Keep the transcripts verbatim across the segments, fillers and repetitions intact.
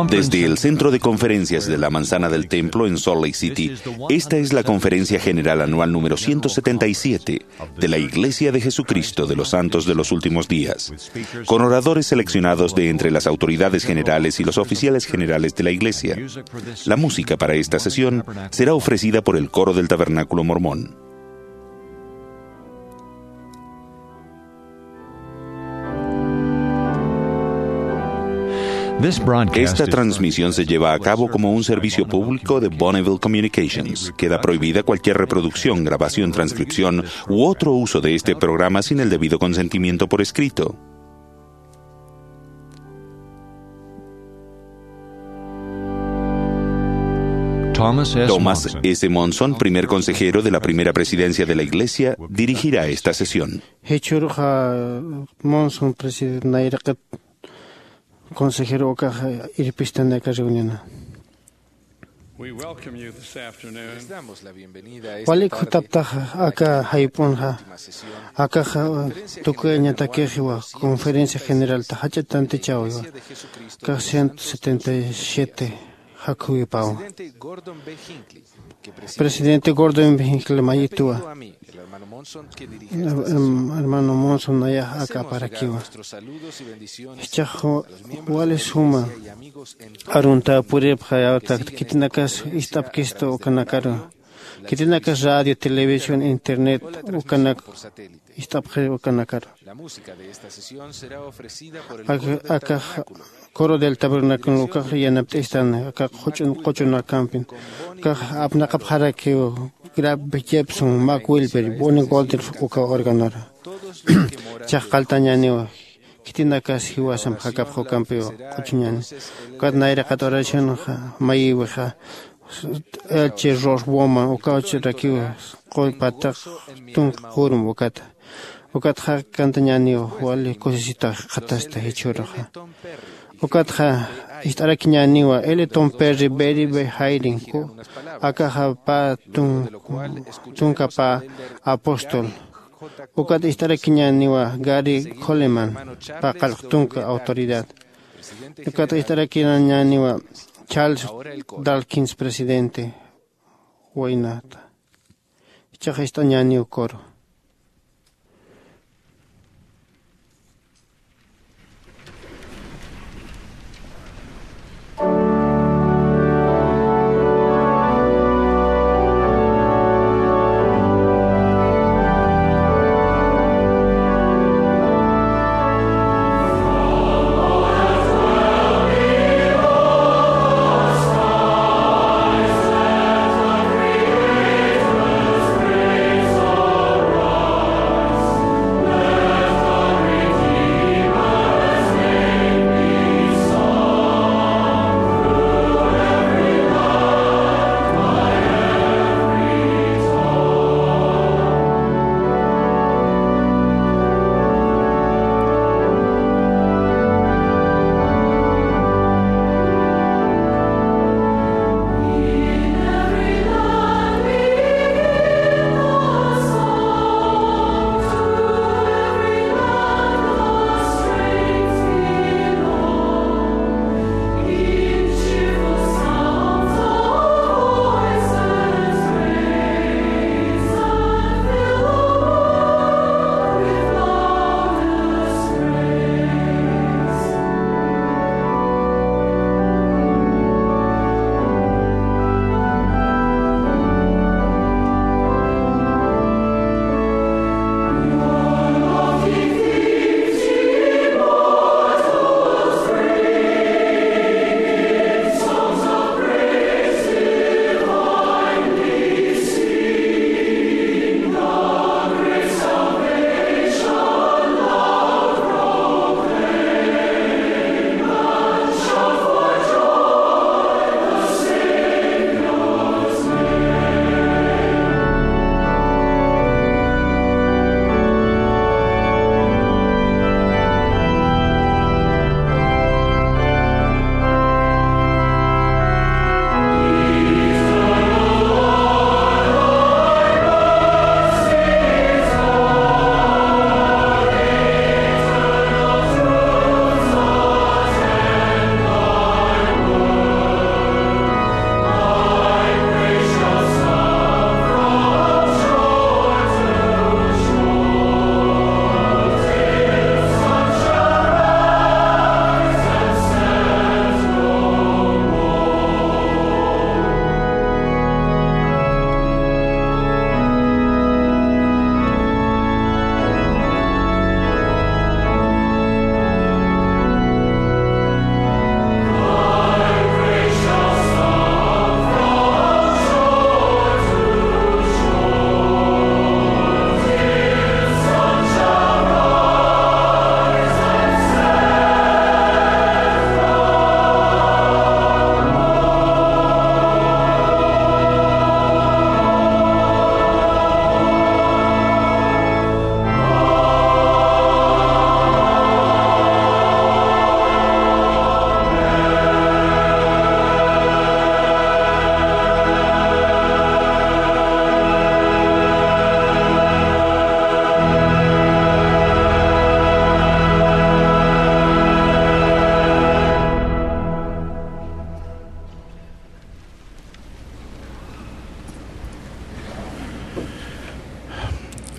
Desde el Centro de Conferencias de la Manzana del Templo en Salt Lake City, esta es la Conferencia General Anual número ciento setenta y siete de la Iglesia de Jesucristo de los Santos de los Últimos Días, con oradores seleccionados de entre las autoridades generales y los oficiales generales de la Iglesia. La música para esta sesión será ofrecida por el coro del Tabernáculo Mormón. Esta transmisión se lleva a cabo como un servicio público de Bonneville Communications. Queda prohibida cualquier reproducción, grabación, transcripción u otro uso de este programa sin el debido consentimiento por escrito. Thomas S. Thomas S. Monson, primer consejero de la primera presidencia de la Iglesia, dirigirá esta sesión. Jichhürux Monson, presidente, nayraqat consejero ukax irpistan aka reunión. We welcome you this afternoon. Walik jutaptaxa aka jayp'unxa, akaxa tukuyañatakixiwa conferencia generalta jach'a tantichäwiwa, akax ciento setenta y siete jakhuwipawa. Presidente Gordon B. Hinckley mayituwa, hermano Monson nayax aka aparakiwa. Jichhax wali suma arunta puripxa, yawta khitinakas ist'apkistu ukanakaru, khitinakas radio, televisión, internet ukanak ist'apxi ukanakaru. Akax Coro del Tabernáculo ukax yanapt'istan, akax quchun quchunakampin, akax apnaqapxarakiw Graf Jepson, Mac Wilber, Bonnie Goldberg uka organora. Jichhax qalltañäniwa, khitinakas jiwasamp jakapx ukampiw quchuñäni. Ukat nayraqat oracionxa mayiwixa Elche Ross Bowman, uka uchaxarakiw qullpataq tunka qurum ukata. Ukatxa kantañäniwa, wali kusisita jikxatasta jichhüruxa. Ukatxa ist'arakiñäniwa Elton Perry, Barry B. Eyring, ku akaxa pä tun-, tunka pä apóstol. Ukat ist'arakiñäniwa Gary Coleman, pä qallq tunka autoridad. Ukat ist'arakiñäniwa Charles Dawkins, presidente waynata. Jichhax ist'añäniw coro.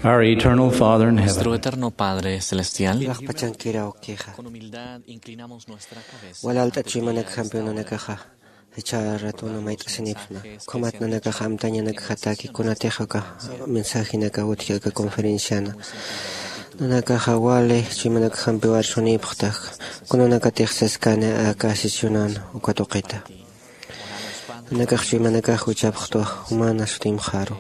Our eternal Father in heaven. Nuestro eterno Padre celestial. Llaqpachankiraw kixa. Con humildad inclinamos nuestra cabeza. Walalt'at chuymanakjampiw nanakaxa. Jichha ratuna mayt'asinipxsma. Ukhamat nanakaxa amtañanakjataki kunatix aka mensajinaka utji aka conferenciana. Nanakaxa wali chuymanakjampiw arsunipxtax. Kunanakatix saskani aka sesionan uka tuqita. Nanakax chuymanakax wichhapxtwa jumana sutimxaru.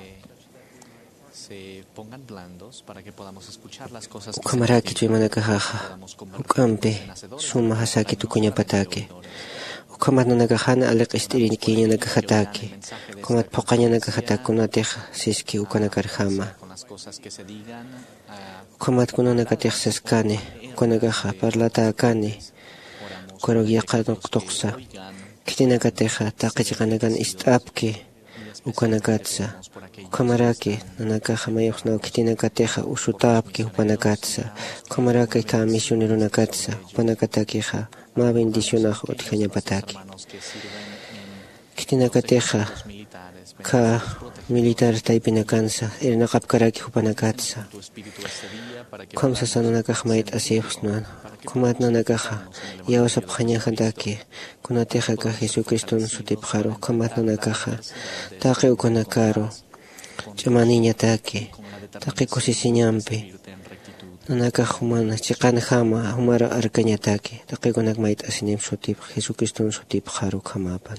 Ukhamaraki chuymanakaxaxa juk'ampi suma jasaki tukuñapataki. Ukhamat nanakax jan aliq'ist'iriñkiñanakaxataki. Ukhamat phuqhañanakaxataki kunatix siski ukanakarjama. Ukhamat kunanakatix saskani ukanakaxa parlatäkani. Ukaruk yaqha tuqtuqsa. Khitinakatixa taqi chiqanakan ist'apki ukanakatsa. Ukhamaraki nanakaxa mayuqsnaw khitinakatixa usutäpki jupanakatsa. Ukhamaraki kä misioneronakatsa jupanakatakixa mä bendicionax utjañapataki. Khitinakatixa kä militar taypinakansa irnaqapkaraki jupanakatsa. Ukham sasa nanakax mayt'asipxsna. Ukhamat nanakaxa iyawsapxañajataki. Kunatix aka Jesucriston sutipxaru ukhamat nanakaxa taqi ukanakaru ch'amaniñataki taqi kusisiñampi. Nanakax juman chiqanjama jumar arkañataki taqi ukanak mayt'asinimp sutipx Jesucriston sutipxaru ukhamapan.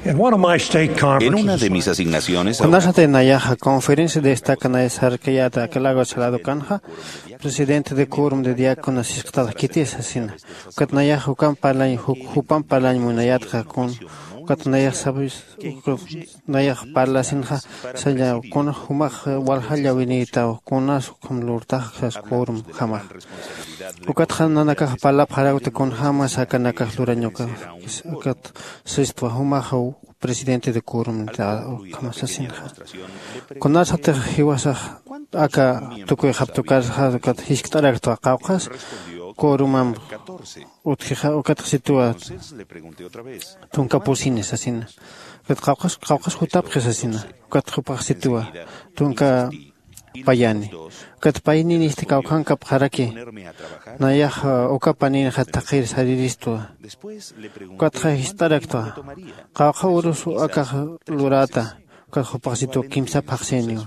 En una de mis asignaciones, kunasatix nayaxa conferencia de estaca nay sarkayäta aka lago salado kanxa, presidente de quórum de diáconos sisktarakitis sasina. Ukat nayax jukam parlañ jupam parlañ munayätxa kun ukat nayax sabis nayax parlasinxa, salla kuna jumax waljalla winïtaw kunas ukham lurtaxas quorum jamax. Ukatxa nanakax parlapxarakta kunjämas akanakax lurañukax. Ukat sistwa jumaxaw presidente de quorum ukham sasinxa. Kunasatix jiwasax aka tukuyxaptukarxa ukat jiskt'araktwa qawqhas quorumamp utjixa ukatxsituwa tunka pusini sasina. Ukat qawqhas qawqhas jutapxi sasina. Ukat jupaxsituwa tunka payani. Ukat payninista kawkhankapxaraki nayax uka paninxa thaqhir sariristwa. Ukatxa jist'araktwa qawqha urus akax luräta. Ukat jupaxsituwa kimsa phaxsiniwa.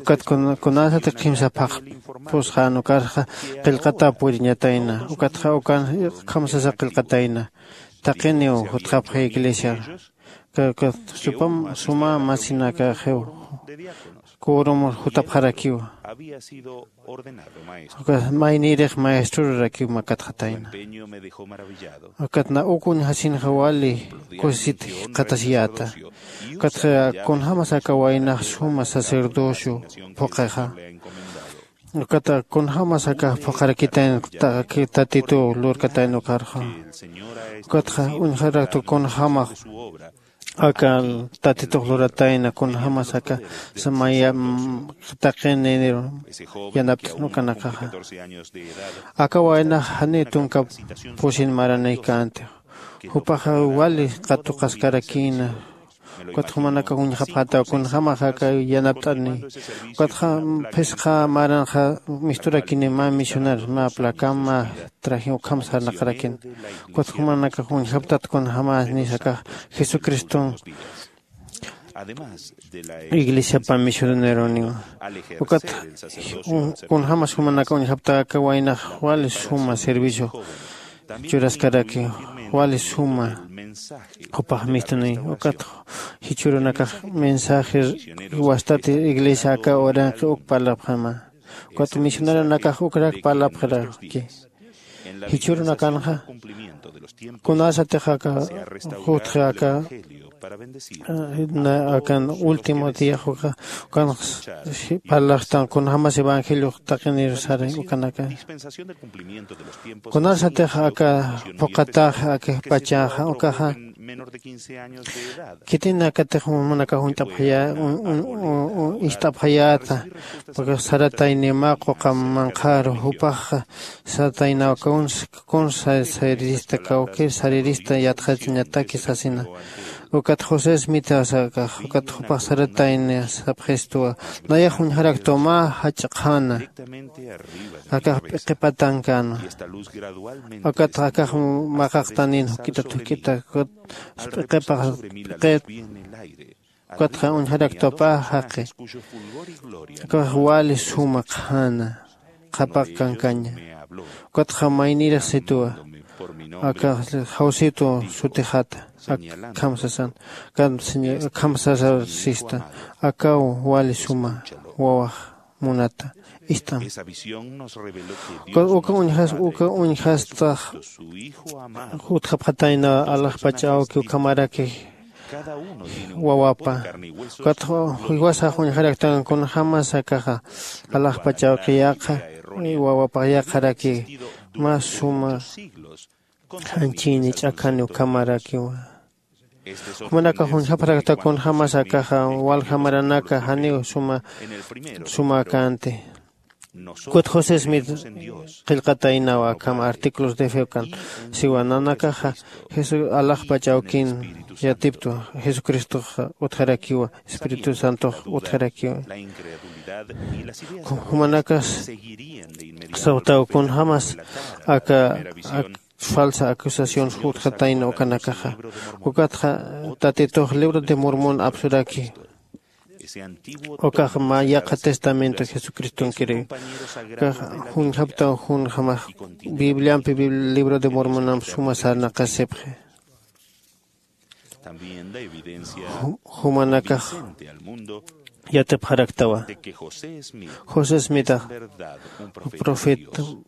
Ukat kunasati kimsa phaxpusxän ukarxa qillqata puriñatayna. Ukatxa ukan ukham sasa qillqatayna. Taqiniw jutxapxi iglesiar. Ukat suma masinakaxiw quorum jutapxarakiwa. Ukat maynïrix maestrorarakiw makatxatayna. Ukat na uk uñjasinxa wali kusisit jikxatasiyäta. Ukatxa kunjämas aka waynax suma sacerdocio phuqhixa. Ukat kunjämas aka phuqharakitayna tatituw lurkatayna ukarxa. Ukatxa uñjaraktu kunjämax aka tatitux luratayna kunjämas aka samaya taqininiru yanapt'snukanakaxa. Aka waynax janiw tunka pusin maranïkänti. Jupaxa wali qatuqaskarakïna. Ukat jumanakax uñjapxätaw kunjämax aka yanapt'ani. Ukatxa phisqa maranxa misturakini mä misionar mä placa mä traje ukham sarnaqarakini. Ukat jumanakax uñjaptat kunjämänis akax jesucriston iglesiapa misioneroniwa. Ukat kunjämas jumanakax uñjapta aka waynax wali suma servicio churaskaraki wali suma jupax mistuni. Ukat jichhürunakax mensaje wastati iglesia aka uranqi uk parlapxama. Ukat misioneronakax ukrak parlapxaraki. Jichhürunakanxa kunasatix aka jutxi aka akan último diax uka ukanx parlaxtan kunjämas evangeliox taqinir sari ukanaka. Kunasatix aka phuqhatax akixpachaxa ukaxa khitinakatix jumanakax uñt'apxayä ist'apxayäta. Ukax saratayni mä quqa manqharu jupaxa sarataynaw kunsa sarirista kawkir sarirista yatxachañataki sasina. Ukat josé smitasa akax ukat jupax saratayni sapxistuwa. Nayax uñjaraktuw mä jach'a qhana akax p'iqipatankänwa. Ukat akax maqaqtanin juk'itat juk'itat ukat p'iqipax p'iqit. Ukatxa uñjaraktuwa pä jaqi akax wali suma qhana qhapaq kankaña. Ukatxa maynirix situwa akax jawsitu sutixata akham sasan akham sasar sista akaw wali suma wawax munata ist'am. Uka uñjas uka uñjastax jutxapxatayna alaxpach awki ukhamaraki wawapa. Ukat jiwasax uñjaraktan kunjämas akaxa alaxpach awki yaqha wawapax yaqharaki mä suma janchini ch'akhani ukhamarakiwa. Jumanakax uñjapxarakta kunjämas akaxa walja maranaka janiw suma sumäkänti. Ukat josé smith qillqataynaw akham artículos de fe ukan siwa nanakaxa alaxpach awkin yatiptwa jesucristoxa utjarakiwa espíritu santox utjarakiwa. Jumanakas sawtaw kunjämas aka falsa acusación jutjatayna ukanakaxa. Ukatxa tatitux libro de mormon apsuraki ukax mä yaqha testamento jesucristonkiri. Ukax juñjaptaw junjamax bibliampi libro de mormonamp suma sarnaqasipxi. Jumanakax yatipxaraktawa. José smitax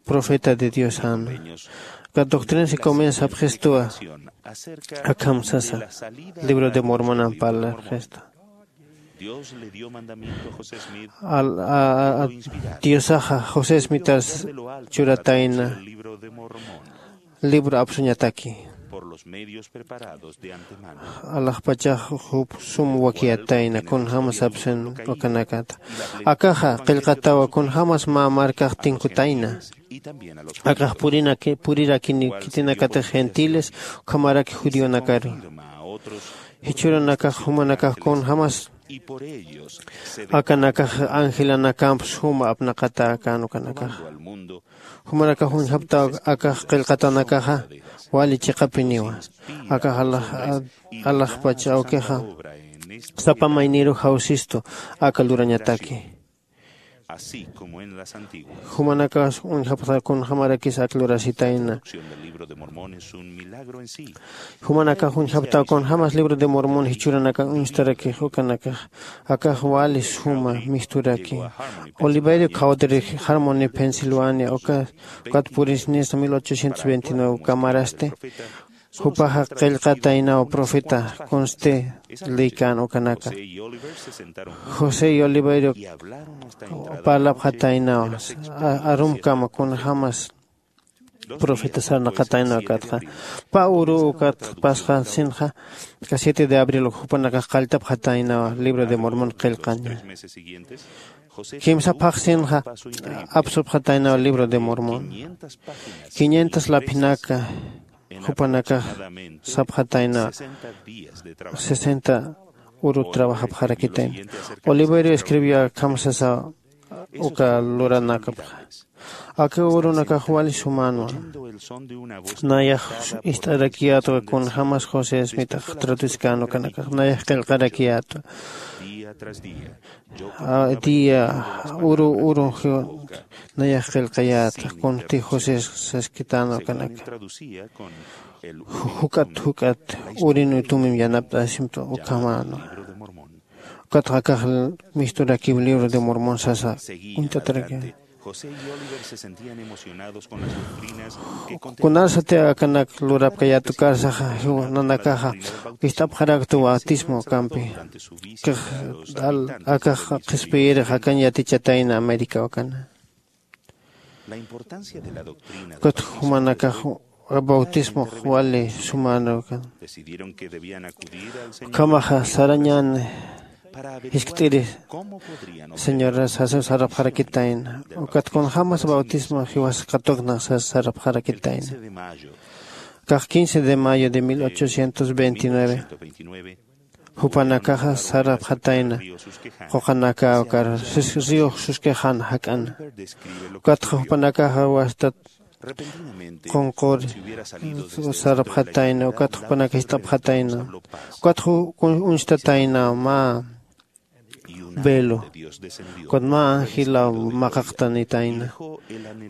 profeta de dios jan. Ka doctrina si comienza apxistuwa. Akham sasa libro de mormonan parlarxista. Diosaxa josé smitas churatayna libro apsuñataki. Alaxpachax jup sum wakiyatayna kunjämas apsun ukanakata. Akaxa qillqatawa kunjämas mä markax tinkutayna. Akax purirakinikitinakatix gentiles ukhamaraki judionakaru. Jichhürunakax jumanakax kunjämas akanakax angelanakamps juma apnaqatäkän ukanakaxa. Jumanakax uñjaptaw akax qillqatanakaxa wali chiqapiniwa. Akax alaxpach awkixa sapa mayniru jawsistu aka lurañataki. Jumanakax uñjapxta kunjämarakis ak lurasitayna. Jumanakax uñjaptaw kunjämas libro de mormon jichhüranakan uñstarakix ukanakax. Akax wali suma misturaki. Oliverio cowdery harmony pensilvania ukat purisnisa mil ochocientos veintinueve ukamarasti. Jupaxa qillqataynaw profeta kunsti lïkän ukanaka. José y oliverio parlapxataynaw arumkama kunjämas profeta sarnaqataynaw ukatxa. Pä uru ukat pasxasinxa ka siete de abril uk jupanakax qalltapxataynaw libro de mormon qillqaña. Kimsa phaxsinxa apsupxataynaw libro de mormon. Quinientas laphinaka jupanakax sapxataynaw. Sesenta uru trabajapxarakitayna. Oliverio escribió akham sasa uka luranakapxa. Aka urunakax wali sumänwa. Nayax ist'arakiyätwa kunjämas josé smitax traducikän ukanakax nayax qillqarakiyätwa. Día uru uru nayax qillqayäta kunti josé saskitän ukanaka. Juk'at juk'at urin utumim yanapt'asimtu ukhamänwa. Ukatxa akax misturakiw libro de mormon sasa uñt'ataraki. Kunarsati akanak lurapkayätu karsaxa nanakaxa ist'apxaraktu bautismo kampi. Akax qhispiyirix akañ yatichatayna américa ukana. Ukat jumanakax bautismox wali sumänwa ukan. Ukhamaxa sarañän jiskt'iri señoras sasa sarapxarakitayna. Ukat kunjämas bautismo jiwas katukna sasa sarapxarakitayna. Akax quince de mayo de mil ochocientos veintinueve jupanakaxa sarapxatayna. Quqanaka ukar río susquejan jak'ana. Ukatxa jupanakaxa wastat qunquri sarapxatayna ukatxa jupanaka jist'apxatayna. Ukatxa uñstatayna mä velo. Ukat mä angilaw maqaqtanitayna.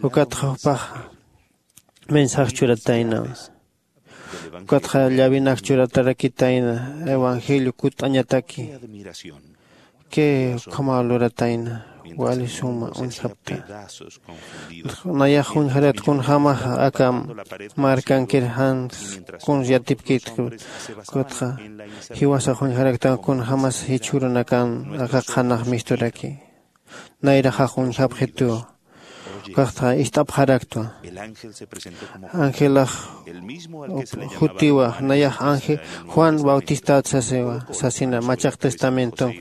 Ukatxa jupaxa mensaje churatayna. Ukatxa llavinak churatarakitayna evangelio kutt'añataki. Kay ukhamaw luratayna wali suma uñjapta. Nayax uñjarat kunjämaxa aka markankir jan kuns yatipkit. Ukatxa jiwasax uñjaraktan kunjämas jichhürunakan aka qhanax misturaki. Nayraxax uñjapxitu. Ukatxa ist'apxaraktwa. Angelax jutiwa nayax ángel juan bautistat sasiwa sasina machaq testamenton.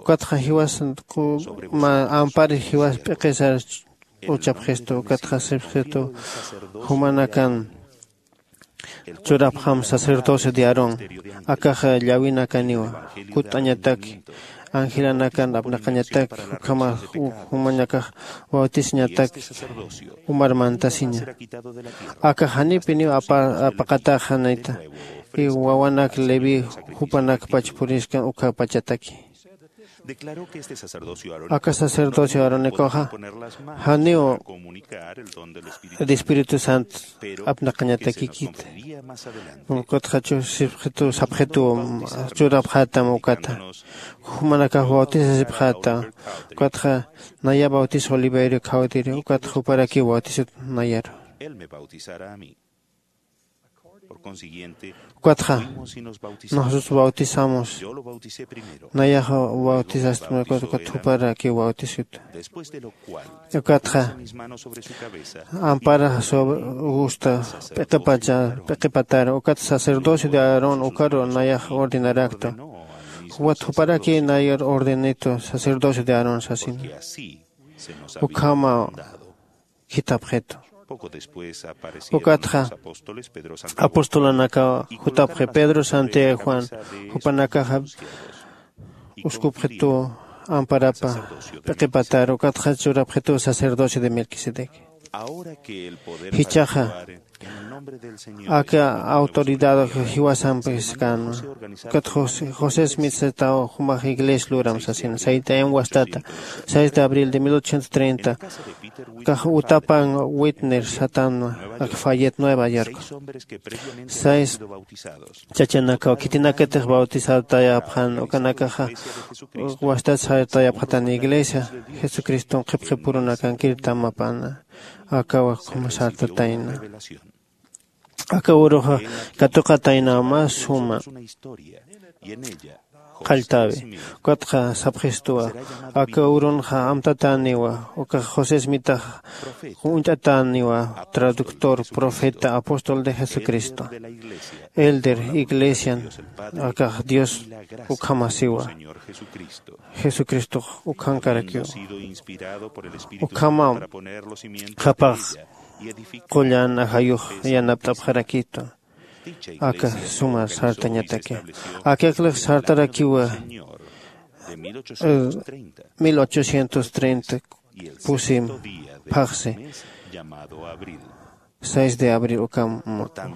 Ukatxa jiwas ampari jiwas p'iqisar uchapxistu ukatxa sipxistu jumanakan churapxam sacerdocio de aarón. Akaxa llawinakaniwa kutt'añataki angelanakan apnaqañataki ukhamax jumanakax bautisañataki umar mantasiña. Akax janipiniw apaqataxanita. Wawanak leví jupanakpach puriskan ukhapachataki. Aka sacerdocio aaronicoxa janiw de Espíritu Santo apnaqañatakikit. Ukatxa chusipxitu sapxituw churapxätam ukata. Jumanakax bautisasipxäta. Ukatxa naya bautisas Oliverio Caudir ukatxa juparakiw bautisut nayaru. Ukatxa nosotros bautizamos. Nayaxa bautisastma ukat juparakiw bautisut. Ukatxa ampara sobre gusta p'iqipacha p'iqipatar ukat sacerdocio de Aarón ukaru nayax ordenarakta. Ukat juparaki nayar ordenito sacerdocio de Aarón sasina. Ukhama khithapxitu. Ukatxa apostolunakaw jutapxi Pedro, Santiago, Juan. Jupanakaxa uskupxituw amparapa p'iqipatar ukatxa churapxituw sacerdocio de Melquisedec. Jichhaxa aka autoridad jiwasampi skanwa. Ukat José Smith sataw jumax iglesia luram sasina saytayam wastata seis de abril de mil ochocientos treinta. Kax utapan Whitner satanwa ak Fayette Nueva York. Seis chachanakaw khitinakatix bautizatayapxan ukanakaxa wastat sartayapxatan iglesia Jesucriston qhipqipurunakankir tamapana. Akawa ukhama sartatayna. Aka uruxa katuqatayna mä suma qalltawi. Ukatxa sapxistuwa aka urunxa amtatäniwa ukax José Smithax uñt'atäniwa traductor, profeta, apóstol de Jesucristo, elder iglesian. Akax Dios ukhamasiwa. Jesucristox ukhankarakiw. Ukhama qhapax qullan ajayux yanapt'apxarakitu. Aka suma sartañataki. Aka iklix sartarakiwa mil ochocientos treinta pusim phaxsi seis de abril ukham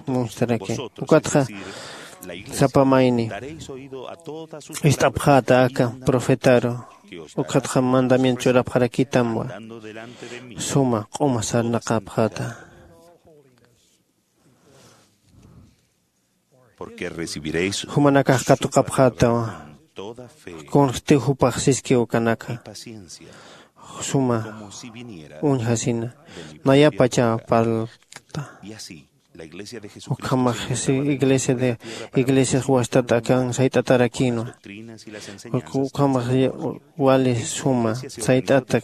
munstaraki. Ukatxa sapa mayni ist'apxäta aka profetaru. Ukatxa mandamiento churapxarakitamwa suma q'uma sarnaqapxäta. Jumanakax katuqapxätawa. Kunxtiw jupax siskiw ukanaka suma uñjasina nayapachaw parlta. Ukhamax iglesia de iglesias wastat akan sayt'atarakïnwa. Ukhamax wali suma sayt'ata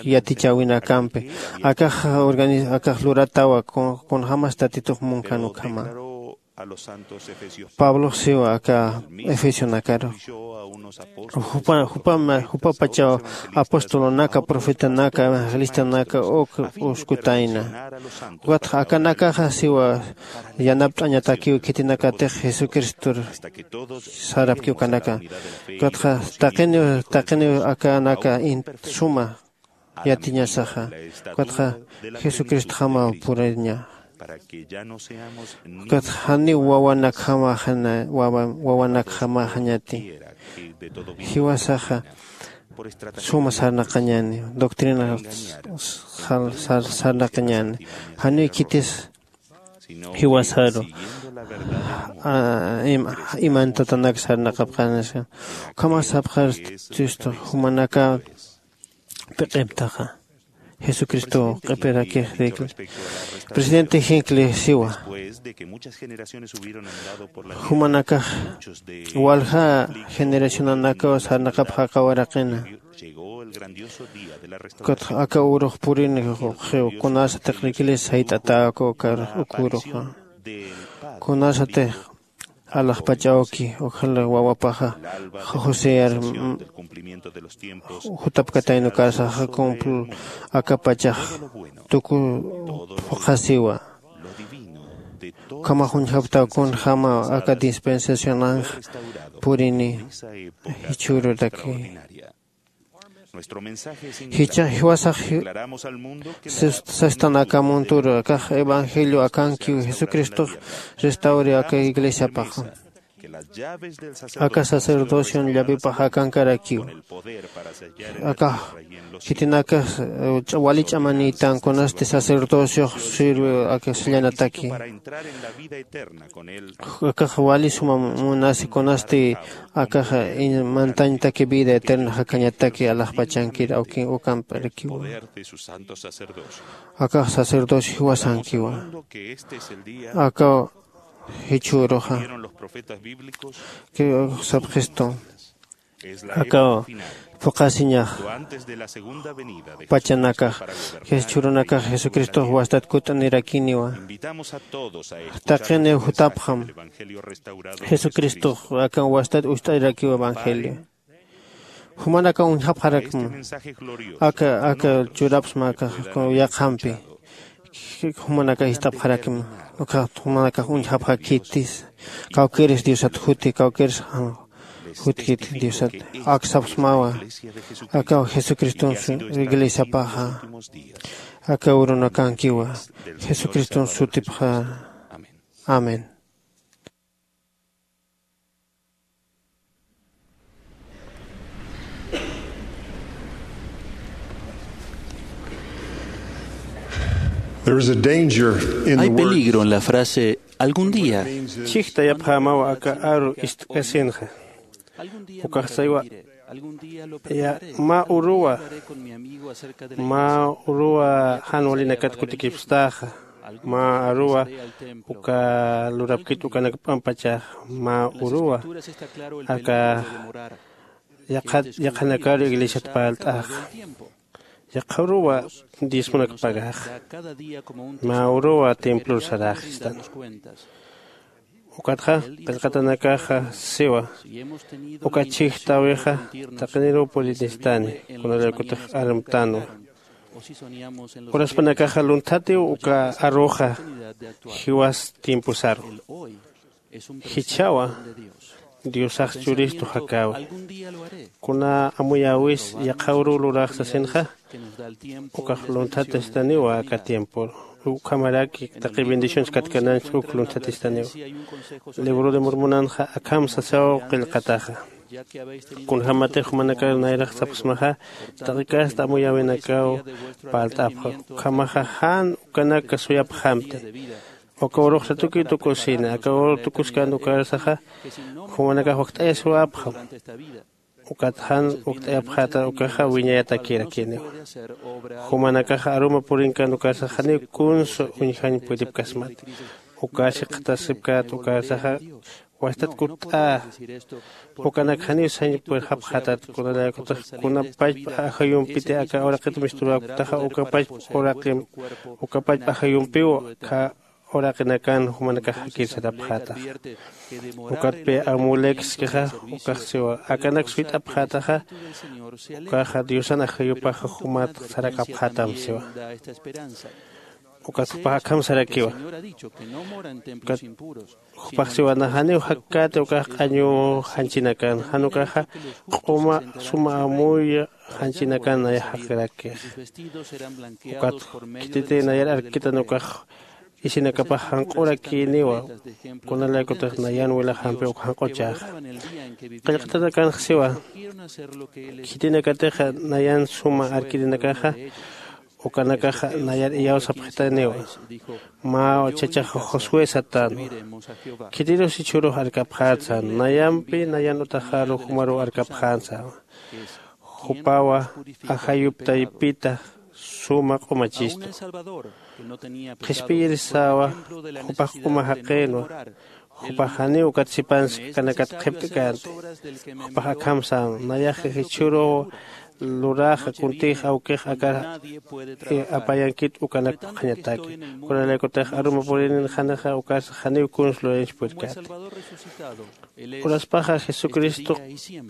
yatichäwinakampi akax akax luratawa. Kunjämas tatitux munkan ukhama pablox siwa aka efesionakaru. Jupapachaw apostolunaka profetanaka evangelistunaka uk uskutayna. Ukatxa akanakaxa siwa yanapt'añatakiw khitinakatix jesucristor sarapki ukanaka. Ukatxa taqiniw taqiniw akanaka suma yatiñasaxa. Ukatxa jesucristjamaw puriña. Ukatxa janiw wawanakjamaxañati. Jiwasaxa suma sarnaqañäni doctrina sarnaqañäni. Janiw khitis jiwasaru imantatanaka sarnaqapxänisa. Ukhamax sapxar tista jumanaka p'iq'iptaxa jesucristo q'ip'irakix rikli. Presidente jinkli siwa jumanakax walja generacionanakaw sarnaqapxäkawaraqina. Aka urux purini juqxiw kunasatix riklis sayt'atäku uk uruxa kunasatix alaxpach'awki ukhal wawapaxa joseyar jutapkatayna ukarsaxa cumpl akapachax tuku phuqhasiwa. Ukhamax uñjaptaw kunjämaw aka dispensacionanx purini jichhüruraki. Jichhax jiwasax sastan aka muntur akax evangelio akankiw jesucristox restawri aka iglesiapaxa. Aka sacerdocion llavipax akankarakiw. Akax khitinakax wali ch'amanïtan kunasti sacerdociox sirve aka sallanataki. Akax wali suma munasi kunasti akax mantañtaki vida eterna jakañataki alaxpachankir awkin ukamp'arakiwa. Akax sacerdocio jiwasankiwa. Aka jichhüruxa sapxistu. Aka phuqhasiñax pachanakax jichhürunakax jesucristox wastat kut'anirakiniwa. Taqiniw jutapxam jesucristox aka wastat ust'ayrakiw evangelio. Jumanakaw uñjapxarakma aka aka churapsma aka yaqhampi. Jumanakax ist'apxarakma. Uka jumanakax uñjapxakïtis kawkïris diosat juti kawkïris jutkit diosat. Aksapxsmawa aka jesucriston iglesiapaxa. Aka urunakankiwa jesucriston sutipxa. Amén. There is a danger in the Hay word peligro en la frase algún día. Chijtayapxämaw aka aru ist'kasinxa. Ukax saywa ya mä uruwa mä uruwa jan walinakat kutikipstaxa. Mä aruwa uka lurapkit ukanak p'ampachax mä uruwa aka yaqhanakaru iglesiat parlt'axa. Yaqha uruwa diezmonak pagaxa mä uruwa templor saraxistan. Ukatxa qillqatanakaxa siwa uka chhijtäwixa taqiniruw purinistani kunalaykutix armtanwa. Uraspanakaxa lunthatiw uka aruxa jiwas tiemposaru. Jichhawa diosax churistu jakäwi. Kuna amuyäwis yaqha uruw lurax sasinxa ukax lunthatistaniwa aka tiempor. Ukhamaraki taqi bendiciones katkananch uk lunthatistaniwa. Libro de mormonanxa akham sasaw qillqataxa. Kunjämatix jumanakar nayrax sapxsmaxa taqi kasta amuyäwinakaw parlt'apxa ukhamaxa jan ukanak suyapxamti. Uka urux satukï tukusina aka uru tukuskan ukarsaxa jumanakax wakt'ayasiwapxam. Ukat jan wakt'ayapxäta ukaxa wiñayatakïrakiniwa. Jumanakaxa aruma purinkan ukarsax janiw kunsa uñjañ puripkasmati. Uka siqtasipkät ukarsaxa wastat kutt'a. Ukanak janiw sañ purxapxätat kunalaykutix kuna pachpa ajayumpiti aka uraqit misturäktaxa uka pachpa uraqim uka pachpa ajayumpiw kha uraqinakan jumanakax jakirsarapxätaxa. Ukatpi amulekskixa ukax siwa akanak suyt'apxätaxa ukaxa diosan ajayupaxa jumat sarakapxätam siwa. Ukat jupax akham sarakiwa. Ukat jupax siwa nax janiw jakkäti ukax q'añu janchinakan jan ukaxa q'uma suma amuy janchinakan nayax jaqirakix. Ukat khititi nayar arkitan ukax isinakapax janq'urakïniwa. Kunalaykutix nayan wilaxampi uk janq'uchäxa qillqatanakanx siwa khitinakatixa nayan suma arkirinakaxa ukanakaxa nayar iyawsapxitaniwa. Mä chachax josué satänwa. Khitirus jichhürux arkapxätsa nayampi nayan utaxaru jumaruw arkapxänsa. Jupawa ajayup taypita suma q'umachistu. Qhispiyirisäwa jupax q'uma jaqïnwa. Jupax janiw ukat sipanskanakat qhipt'känti. Jupax akham sän nayax jichhüruw luräxa kuntix awkix aka apayankit ukanak phuqhañataki. Kunalaykutix aruma purïninxanixa ukarsa janiw kuns lurañch purkati. Uraspaxa jesucristo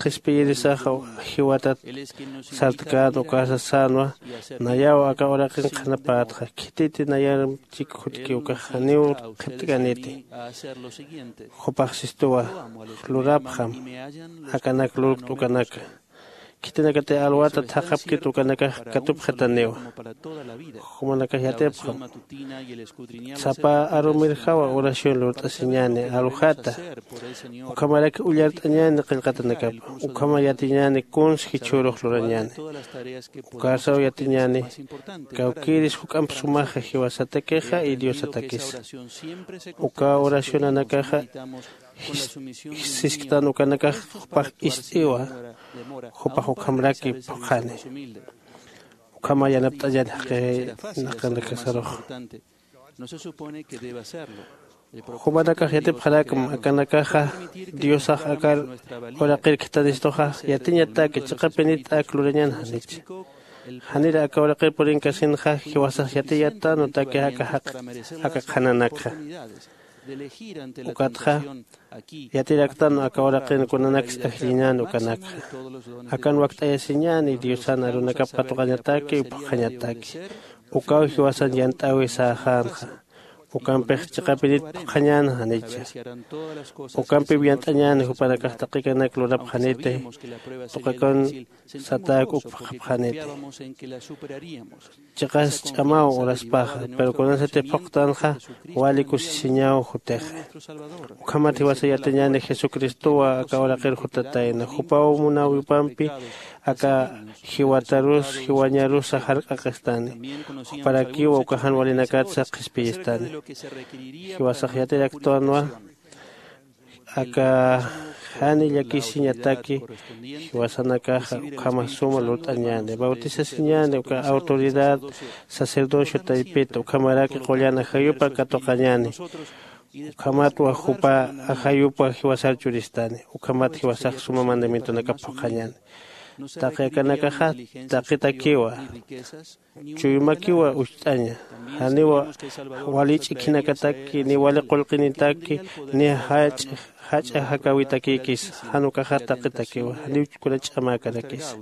qhispiyirisaxa jiwatat sartkän ukarsa sänwa. Nayaw aka uraqin qhanapätxa khititi nayar chik jutki ukax janiw qhipt'käniti. Jupax sistuwa lurapxam akanak lurkt ukanaka. khitinakati alwata thaqhapkit ukanakax katupxataniwa. Jumanakax yatipxam sapa arumirjawa oración lurt'asiñäni aljata. Ukhamarak ullart'añäni qillqatanakapa. Ukhama yatiñäni kuns jichhürux lurañäni. Ukarsaw yatiñäni kawkïris juk'amp sumaxa jiwasatakixa y diosatakisa. Uka oracionanakaxa jis- jisisktan ukanakax jupax ist'iwa. Jupax ukhamraki phuqhani. Ukhama yanapt'añäni jaqinaqanakasarux. Jumanakax yatipxarakma akanakaxa diosax akar uraqir khithanistuxa yatiñataki chiqapinit ak lurañän janicha. Janir aka uraqir purinkasinxa jiwasax yatiyatanwa taki aka jaq aka qhananakxa. Ukatxa yatiraktanwa aka uraqin kunanaksa ajlliñän ukanakxa. Akan wakt'ayasiñäni diosan arunakap katuqañataki phuqhañataki. Ukaw jiwasan yant'äwisäxänxa. Ukampix chiqapinit phuqhañän janicha. Ukampiw yant'añäni jupanakax taqikanak lurapxaniti. Tuqikun satäk uk phuqhapxaniti. Chiqas ch'amaw uraspaxa pero kunasati phuqtanxa wali kusisiñaw jutixi. Ukhamat jiwasa yatiñäni jesucristowa aka uraqir jutatayna jupaw munawipampi aka jiwatarus jiwañarusa jark'aqistani. Juparakiwa uka jan walinakatsa qhispiyistani. Jiwasax yatiraktwanwa aka jani llakisiñataki jiwasanakaxa ukhama suma lurt'añäni bautisasiñäni uka autoridad sacerdocio taypita ukhamaraki qullan ajayupa katuqañäni. Ukhamatwa jupa ajayupa jiwasar churistani. Ukhamat jiwasax suma mandamientonakap phuqhañäni. Taqi akanakaxa taqitakiwa chuymakiwa ucht'aña. Janiwa wali ch'ikhinakataki ni wali qullqinitaki ni jach'a jach'a jakawitakïkisa. Jan ukaxa taqitakiwa janiw kuna ch'amäkarakisa.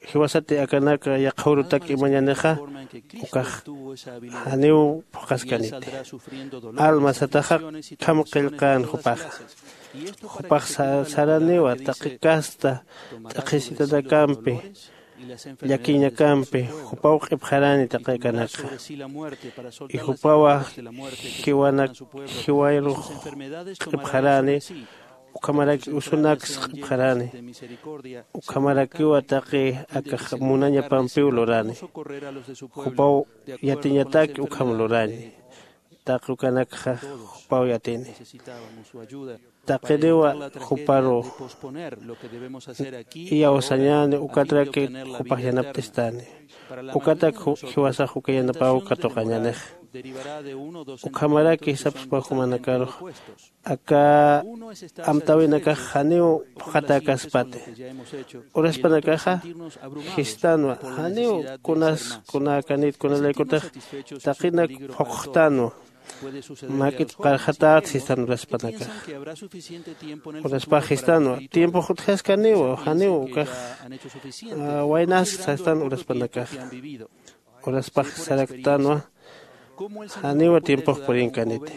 Jiwasati akanaka yaqha urutak imañanixa ukax janiw phuqhaskaniti. Alma sataxa kham qillqän jupaxa. Jupax sa- saraniwa taqi kasta t'aqhisitanakampi llakiñakampi jupaw q'ipxarani taqi akanakxa. Y jupawa jiwanak jiwayrux q'ipxarani. Ukhamaraki usunaks q'ipxarani. Ukhamarakiwa taqi aka munañapampiw lurani. Jupaw yatiñataki ukham lurañi. Taqi ukanakxa jupaw yatini. Taqiniwa juparu iyawsañäni ukatraki jupax yanapt'istani. Ukatak jiwasax uka yanapäw katuqañänix. Ukhamaraki sapspa jumanakarux aka amtäwinakax janiw phuqhatäkaspati. Uraspanakaxa jistanwa janiw kunas kunäkanit kunalaykutix taqinak phuqxtanwa. Mak'it qarxatat sistan uraspanakax. Uraspax jistanwa tiempox utjaskaniwa janiw ukax waynask sastan uraspanakax. Uraspax saraktanwa janiwa tiempox purinkaniti.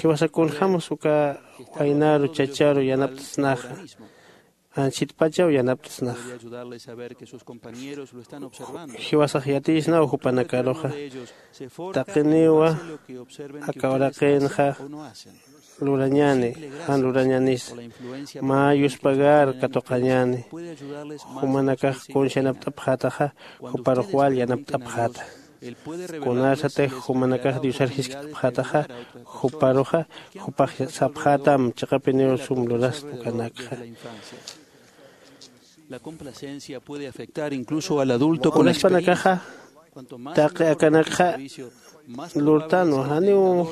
Jiwasa kunjämas uka waynaru chacharu yanapt'snaxa. Anchitpachaw yanapt'snaxa. Jiwasax yatiyisnaw jupanakaruxa taqiniwa aka uraqinxa lurañäni jan lurañänisa. Mä yuspagar katuqañäni. Jumanakax kuns yanapt'apxätaxa juparux wal yanapt'apxäta. Kunasatix jumanakax diosar jiskt'apxätaxa juparuxa jupax sapxätam chiqapiniw sum luraspa ukanakxa. La complacencia puede afectar incluso al adulto con la experiencia. Uraspanakaxa taqi akanakxa lurtanwa janiw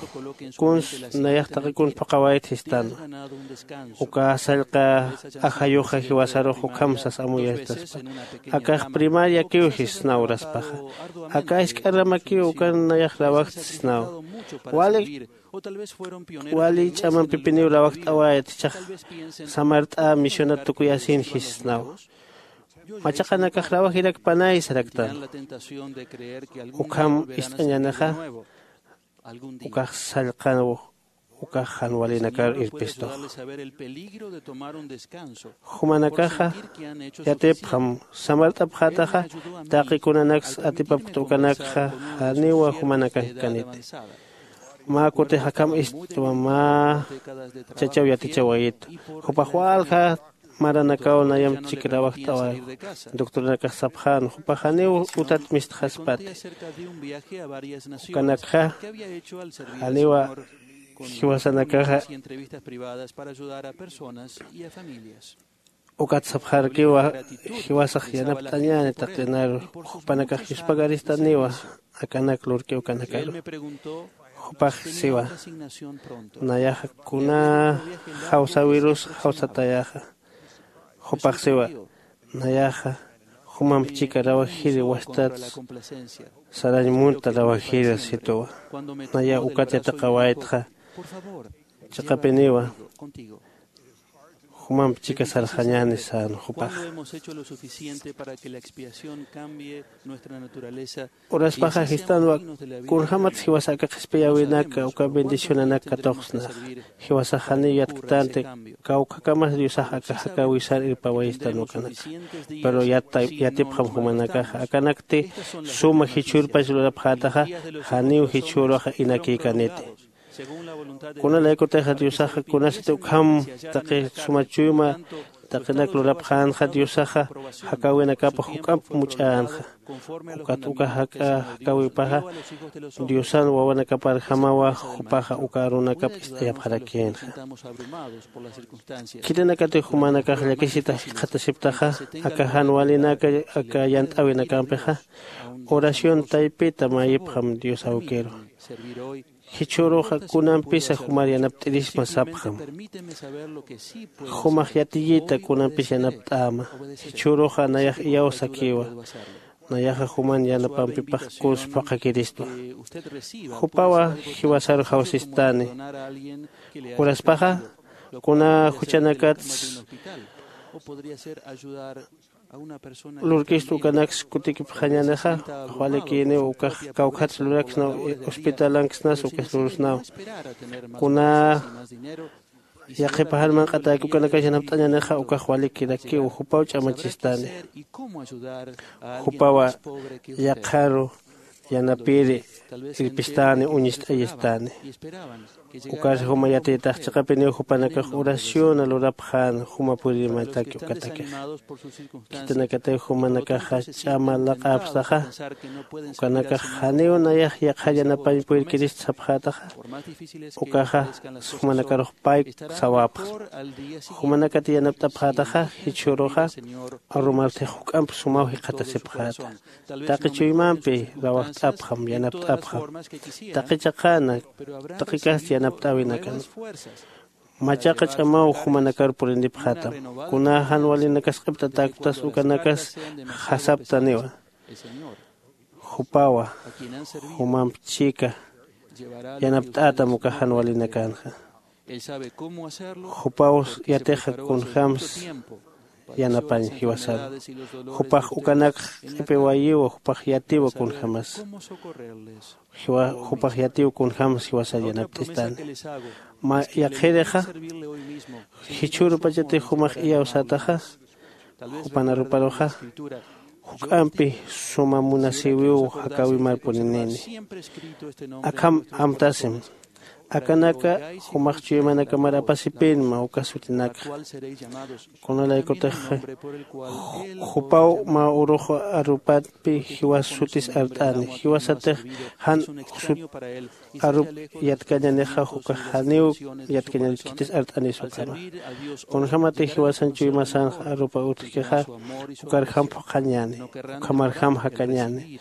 kuns nayax taqi kuns phuqhawayt jistanwa. Uka sallqa ajayuxa jiwasarux ukham sas amuyastaspa. Akax primariakiw jisnaw uraspaxa. Aka jisk'a ramakiw ukan nayax rawajtsisnaw. Wali wali ch'amampipiniw rawajt'awayat jichhax samart'a misionat tukuyasin jisnaw. Machaqanakax rawajirakpanay saraktan. Ukham ist'añänixa ukax sallqanw ukax jan walinakar irpistux. Jumanakaxa yatipxam samart'apxätaxa, taqi kunanaks atipapkta ukanakxa janiwa jumanakax kaniti. Mä kutix akham istwa mä chachaw yatichawayitu. Jupax walja maranakaw nayamp chikrawajt'awa. Doctoranakax sapxän jupax janiw utat mistxaspati. Ukanakxa janiwa jiwasanakaxa ukat sapxarkiwa. Jiwasax yanapt'añäni taqinaru jupanakax yuspagaristaniwa. Akanak lurki ukanakaru jupax siwa, nayaxa kuna jawsäwirus jawsatayaxa. Jupax siwa, nayaxa jumamp chika rawajiri wastat sarañ munta rawajiri situwa. Naya ukat yatiqawaytxa chiqapiniwa jumamp chika sarxañäni sän jupax. Uraspaxa jistanwa kunjämats jiwasa aka qhispiyäwinaka uka bendicionanak katuqsnaxa. Jiwasax janiw yatktanti kawkhakamas diosax aka jakäwisar irpawayistan ukanaka. Pero yatipxam jumanakaxa akanakti suma jichhürpach lurapxätaxa. Janiw jichhüruxa inakïkaniti. Kunalaykutixa diosaxa kunasati ukham taqi suma chuyma taqinak lurapxänxa diosaxa jakäwinakapa juk'amp much'änxa. Ukat uka jak'a jakäwipaxa diosan wawanakaparjamawa jupaxa uka arunakap ist'ayapxarakïnxa. Khitinakatix jumanakax llakisita jikxatasiptaxa aka jan walinaka aka yant'äwinakampixa oración taypita mayipxam dios awkiru. Jichhüruxa kunampisa jumar yanapt'irisma sapxam. Jumax yatiyita kunampis yanapt'äma. Jichhüruxa nayax iyawsakiwa. Nayaxa juman yanapampipax kuns phuqhakiristwa. Jupawa jiwasaru jawsistani. Uraspaxa kuna juchanakats lurkist ukanaks kutikipxañänixa. Walikïniw ukax kawkhats luraksnaw hospitalanksnas ukas lurusnaw. Kuna yaqhipaxan manq'atäki ukanakas yanapt'añänixa ukax walikirakiw jupaw ch'amachistani. Jupawa yaqharu yanapiri irpistani uñist'ayistani. Ukar juma yatiytax chiqapiniw jupanakax oración lurapxän juma purimataki ukatakixa. Khitinakatix jumanakaxa ch'ama laq'apxtaxa ukanakax janiw nayax yaqhar yanapañ puyrkirist sapxätaxa. Ukaxa jumanakarux payk sawapxsma. Jumanakati yanapt'apxätaxa jichhüruxa arumartix juk'amp sumaw jikxatasipxäta. Taqi chuymampi rawajt'apxam yanapt'apxam. Taqi chaqana taqi kasti yanapt'äwinakan. Machaqa ch'amaw jumanakar purindipxätam. Kuna jan walinakas q'ipt'atäkptas ukanakas jasaptaniwa. Jupawa jumamp chika yanapt'ätam uka jan walinakanxa. Jupaw yatixa kunjämsa yanapañ jiwasaru. Jupax ukanakx q'ipiwayiwa jupax yatiwa kunjämasa. Jupax yatiw kunjämsa jiwasar yanapt'istani. Mä yaqhirixa jichhürupachatix jumax iyawsätaxa. Jupan aruparuxa juk'ampi suma munasïwiw jakäwimarpuninini. Akham amtasim. Akanaka jumax chuymanakamar apasipinma uka sutinakxa. Kunalaykutix jupaw mä urux arupatpi jiwas sutis art'ani jiwasatix jan sut arup yatkañanixa ukax janiw yatkañanik khitis art'anis ukhama. Kunjämatix jiwasan chuymasanxa arupa utjkixa ukarjam phuqhañäni. Ukhamarjam jakañäni.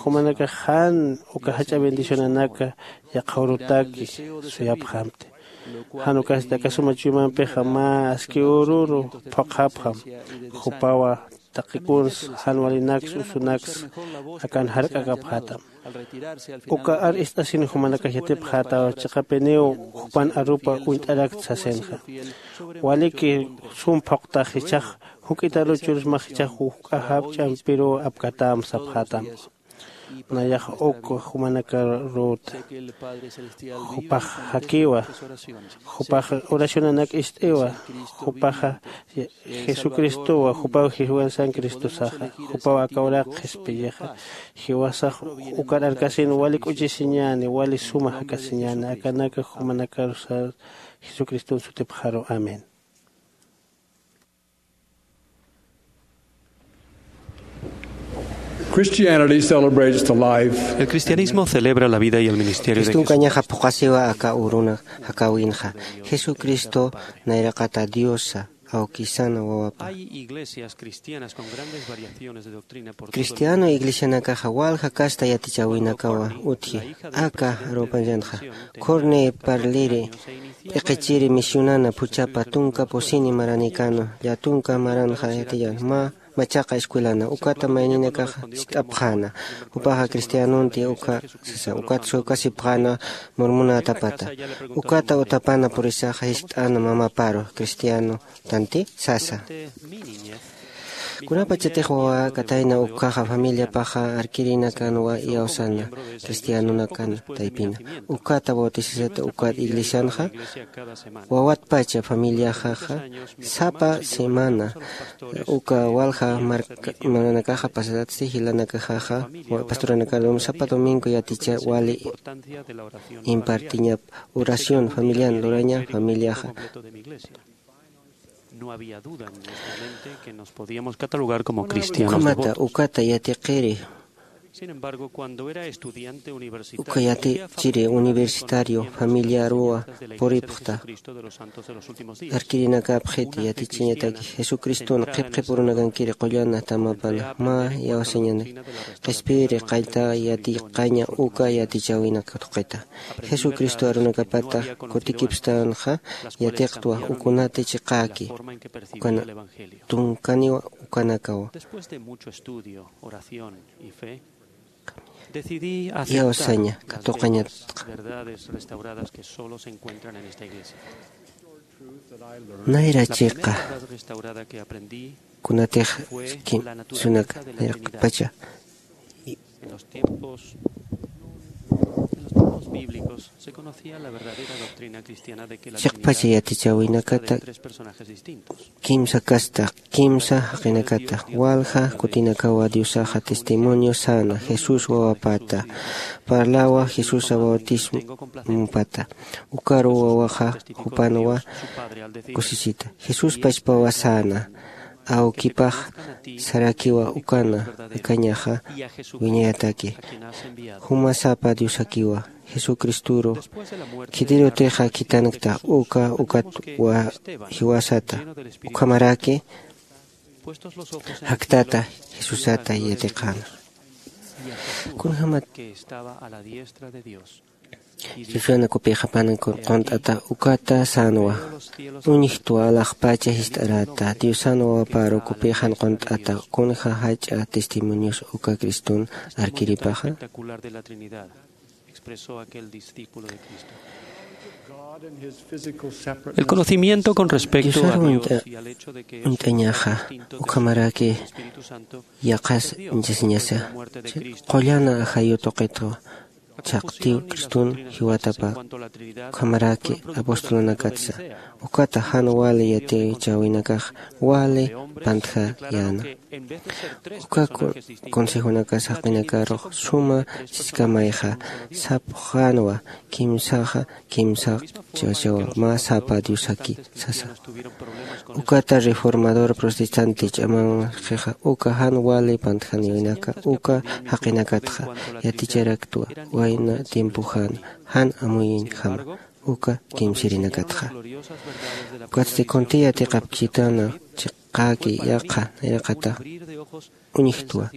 Jumanakax jan uka jach'a bendicionanaka yaqha urutaki suyapxamti. Jan ukasti aka suma chuymampixa mä aski ururu phuqhapxam. Jupawa taqi kuns jan walinaks usunaks akan jark'akapxätam. Uka ar ist'asin jumanakax yatipxätaw chiqapiniw jupan arupa uñt'arakt sasinxa. Waliki sum phuqtax jichhax juk'itaruchurus mä jichhax juk'a japch'ampiruw apkatäm sapxätam. Nayax uk jumanakaruta. Jupax jakiwa. Jupax oracionanak ist'iwa. Jupaxa Jesucristowa, jupaw jiwasan Cristosaxa, jupaw aka uraq qhispiyixa. Jiwasax ukar arkasin wali k'uchisiñäni, wali suma jakasiñäni. Akanaka jumanakarusa Jesucriston sutipxaru. Amén. Christianity celebrates the life. El cristianismo celebra la vida y el ministerio de Jesús. Cristunkañaxa phuqasiwa aka uruna jakawinxa. Jesucristo nayraqata Diosa, awkisana wawapa. Hay iglesias cristianas con grandes variaciones de doctrina por todo el mundo. Cristiano iglesianakaxa walja kasta yatichäwinakawa utji. Aka arupañanxa, Corne Parliri p'iqichiri misionana phuchhapa tunka pusini maranikanu, llatunka maranxa yatiyan, mä machaqa escuelana, ukata mayninakaxa jiskt'apxäna. Jupaxa cristianonti uka sasa, ukat sukasipxäna murmunätapata. Ukata utapana purisaxa jiskt'äna mamaparu, cristiano tanti sasa. Kunapachatix wawa katayna ukhaxa familiapaxa arkirinakanwa iyawsana, cristianonakan taypina. Ukata bautisasata ukat iglesianxa, wawatpacha familiaxaxa, sapa semana, uka walja mark-, maranakaxa pasatsi jilanakaxaxa, wa-, pastoranakarum sapa domingo yaticha wali impartiñap oración familian luraña familiaxa. No había duda en nuestra mente que nos podíamos catalogar como cristianos devotos. Ukhamata, ukata yatiqiri. Sin embargo, cuando era estudiante universitario, uka yatichiri universitario familiaruwa puripxta. Arkirinakapxiti yatichiñataki Jesucriston qhipqhipurunakankiri qullana tamapana, mä iyawsañanak. Qhispiri qayta yatiqaña uka yatichäwinak tuqita. Jesucristo arunakapata kutikipstanxa yatiqtwa ukunati chiqäki. Ukana tunkaniwa ukanakawa. Después de mucho estudio, oración y fe, decidí aceptar las verdades restauradas que solo se encuentran en esta iglesia. Nayra chiqa. La primera verdad restaurada que aprendí kunatix fue la naturaleza de la Trinidad. Nayraqpacha. En los tiempos, en los tiempos bíblicos se conocía la verdadera doctrina cristiana de que la Trinidad se trata de tres personajes distintos. Chiqpacha yatichäwinakata kimsa kasta, kimsa jaqinakata, walja kutinakawa Diosaxa testimonio säna, Jesús wawapata, parlawa Jesusa bautismopata, ukaru wawaxa jupanwa kusisita. Jesús pachpawa säna, awkipax sarakiwa ukana, akañaxa wiñayataki. Juma sapa Diosakiwa, Jesucristoru, khitirutixa khitankta uka, ukat wa jiwasata. Ukhamaraki jaktata Jesusata yatiqäna. Kunjämat Jesusa nakupixa pan qunt'ata ukata sänwa. Uñjtwa alaxpacha jist'arata, Diosan wawaparu kupixa qunt'ata, kunja jach'a testimonios uka Criston arkiripaxa. El conocimiento con respecto a Dios y al hecho de que es distinto de Jesús y del Espíritu Santo, yaqas inchasiñasa, qullana ajayu tuqitwa, chhaqtiw Criston jiwatapa, ukhamaraki apostolunakatsa, ukata jan wali yatichäwinakax wali pantjayäna. Uka consejonakas jaqinakarux suma siskamayxa, sapxänwa kimsaxa, kimsa chiwachawa, mä sapa Diosaki sasa. Ukata reformador protestante ch'amanxixa, uka jan wali pantjaniwinaka, uka jaqinakatxa yaticharaktwa, wayna tiempoxäna, jan amuyinjama, uka kimsirinakatxa. Ukatsti kuntï yatiqapkitana, chiqäki yaqha nayraqata uñjtwa.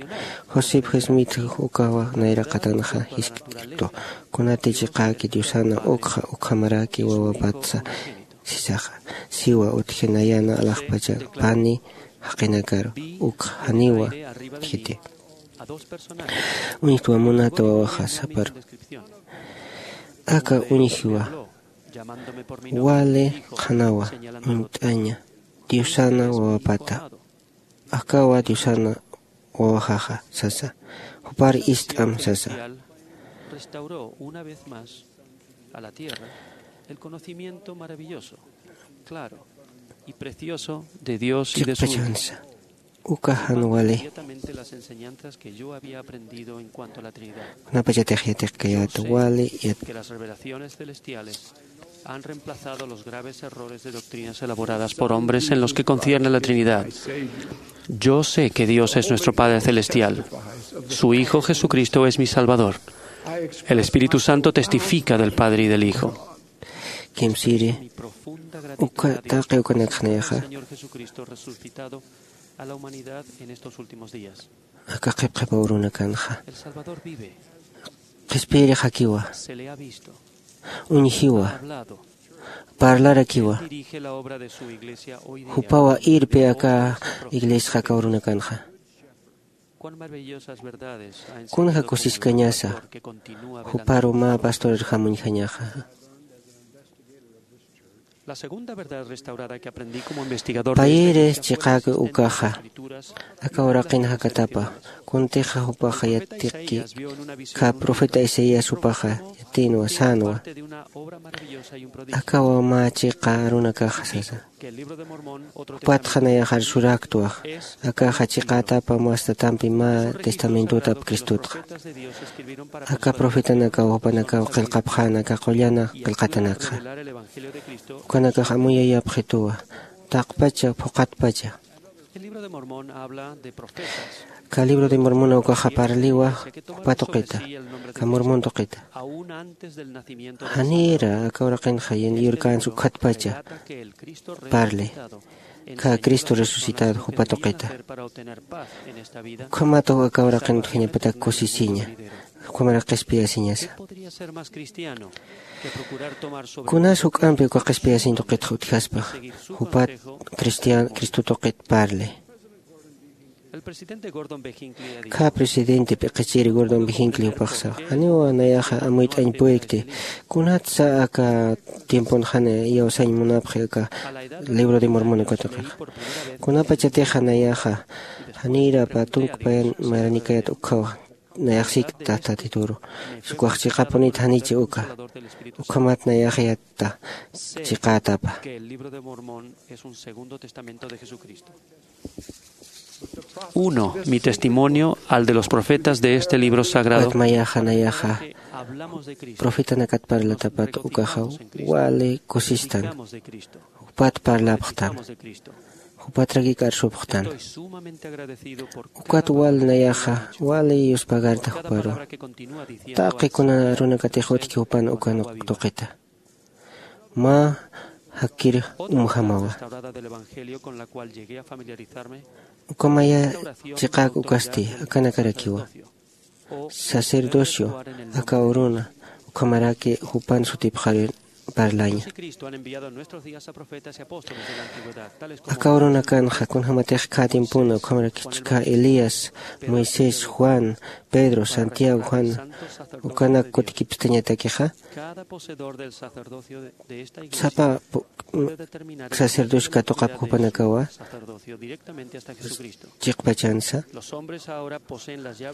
José Smith ukawa nayraqatanxa jiskt'irtu. Kunati chiqäki Diosana ukxa ukhamaraki wawapatsa sisaxa. Siwa utji nayana alaxpacha pani jaqinakaru ukxa janiwa utjiti. Uñjtwa munata wawaxa saparu. Aka uñjiwa wali qhanawa uñt'aña Diosana wawapata. Akawa Diosana wawaxaxa sasa. Jupar ist'am sasa. Restauró una vez más a la tierra el conocimiento maravilloso, claro y precioso de Dios y de su Hijo. Chiqpachansa. Uka jan wali. Inmediatamente las enseñanzas que yo había aprendido en cuanto a la Trinidad. Kunapachatix yatiqkayäta wali yat- que las revelaciones celestiales han reemplazado los graves errores de doctrinas elaboradas por hombres en los que concierne a la Trinidad. Yo sé que Dios es nuestro Padre Celestial. Su Hijo Jesucristo es mi Salvador. El Espíritu Santo testifica del Padre y del Hijo. Kimsiri, uka taqi ukanakxnayaxa. Señor Jesucristo resucitado a la humanidad en estos últimos días. Aka qhipqhipaw runakanxa. El Salvador vive. Qhispiyirixakiwa. Se le ha visto. Uñjiwa. Ha hablado. Parlarakiwa. Él dirige la obra de su iglesia hoy día. Jupawa irpi aka iglesxakaw runakanxa. Cuán maravillosas verdades ha enseñado. Kunja kusiskañasa. Juparu mä pastorarjam uñjañaxa. La segunda verdad restaurada que aprendí como investigador de este tiempo de las Escrituras. Payiri chiqäki ukaxa. Aka uraqin jakatapa. Kuntixa jupaxa yatiqki. Kä profeta Isaías jupaxa yatinwa sänwa. Akawa mä chiqa arunakaxa sasa. Jupatxa nayaxa arsuräktwa. Akaxa chiqätapa mastatampi mä testamentotap Cristotxa. Aka profetanakaw jupanakaw qillqapxäna aka qullana qillqatanakxa. Ukanakax amuyayapxituwa. Taqpacha phuqhatpacha. Kä libro de Mormon ukaxa parliwa jupa tuqita, kä Mormon tuqita. Janira aka uraqinxa yurkänsa ukhatpacha parli. Kä Cristo resucitado jupa tuqita. Ukhamat aka uraqin utjañapatak kusisiña. Ukhamarak qhispiyasiñasa. Kunas juk'ampi uka qhispiyasiñ tuqitxa utjaspa jupat cristian Cristo tuqit parli. Kä presidente p'iqichiri Gordon B. Hinckley jupaxsa janiw nayaxa amuyt'añ puykti. Kunatsa aka tiemponxani iyawsañ munapxi aka libro de Mormon uka tuqixa. Kunapachatixa nayaxa janirapa tunkpayan maranikayat ukhawa. Nayax sikta Tatituru. Ukax chiqapunit janichi uka. Ukhamat nayax yatta chiqätapa. Uno, mi testimonio al de los profetas de este libro sagrado. Ukat mayaxa nayaxa profetanakat parlatapat ukaxa wali kusistan. Jupat parlapxtan. Jupatraki k'arsupxtan. Ukat wal nayaxa wali yuspagarta juparu. Taqi kuna runakatix utjki jupan ukan tuqita. Mä jakkir umjamawa. Ukamaya chiqak ukasti akanakarakiwa. Sacerdocio aka uruna ukhamaraki jupan sutipxarir parlaña. Aka urunakanxa kunjamatix khätimpuna ukhamaraki chhika Elías, Moisés, Juan, Pedro, Santiago, Juan ukanak kutikipstañatakixa. Sapa sacerdocio katuqap jupanakawa chiqpachansa.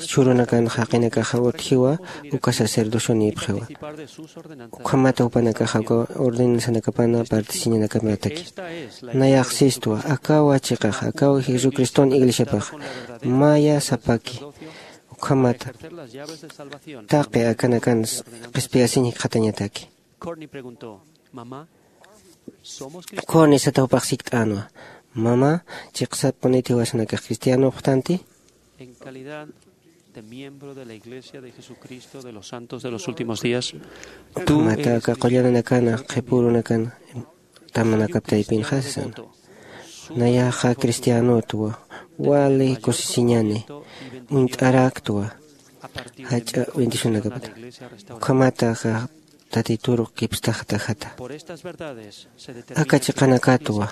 Chhurunakan jaqinakaxa utjiwa uka sacerdocionïpxiwa. Ukhamata jupanakaxa uka ordenanzanakapana particiñanakamataki. Nayax sistwa akawa chiqaxa akawa jesucriston iglesiapaxa. Maya sapaki ukhamata taqi akanakan qhispiyasiñ jikxatañataki. Corny sata jupax sikt'änwa, mama, chiqsappuniti jiwasanakax cristianopxtanti? En calidad de miembro de la iglesia de jesucristo de los santos de los últimos días. Ukhamata aka qullananakana qhipurunakan tamanakap taypinxa sasan. Nayaxa cristianotwa, wali kusisiñani, uñt'araktwa jach'a bendicionakapata. Ukhamata aka tatituru kipstaxta jata. Aka chiqanakatwa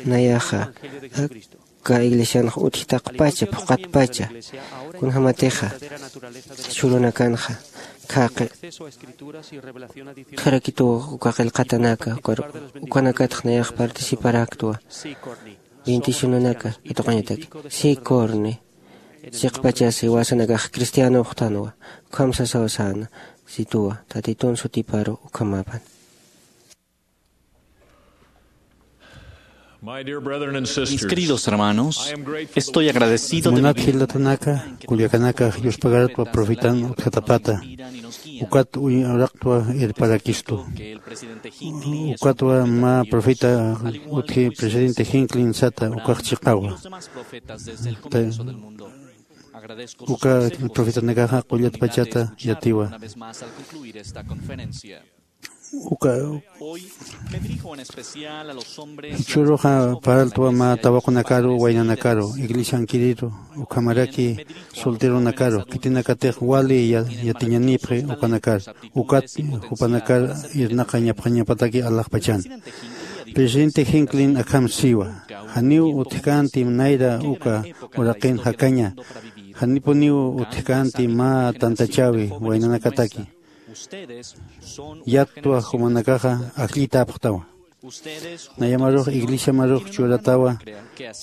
nayaxa aka iglesianxa utjtaqpacha phuqatpacha. Kunjamatixa chhurunakanxa khaqi utjarakituw uka qillqatanaka ukanakatx nayax participaraktwa. Bendicionanaka katuqañataki. Si, corny. Chiqpachas iwasanakax cristiano uxtanwa. Ukham sasaw säna. Situwa tatitun sutiparu ukhamapan. Mis queridos hermanos, estoy agradecido de munat vivir jilatanaka, kullakanaka, yuspagartwa profetan utjatapata. Ukat uy uraqtwa irparakistu. Ukatwa mä profeta utji presidente Hinckley sata ukax chiqawa. Uka profetanakaxa qullat pachata yatiwa. Uka churuxa parltwa mä tawaqunakaru, waynanakaru, iglesiankiriru, ukhamaraki solteronakaru, khitinakatix wali yatiñanipxi ukanakar. Ukat jupanakar irnaqañapxañapataki alaxpachan. Presidente Hinckley akham siwa, janiw utjkänti nayra uka uraqin jakaña, janipuniw utjkänti mä tantachäwi waynanakataki. Yattwa jumanakaxa ajllitäpxtawa. Nayamarux iglesiamarux churatawa,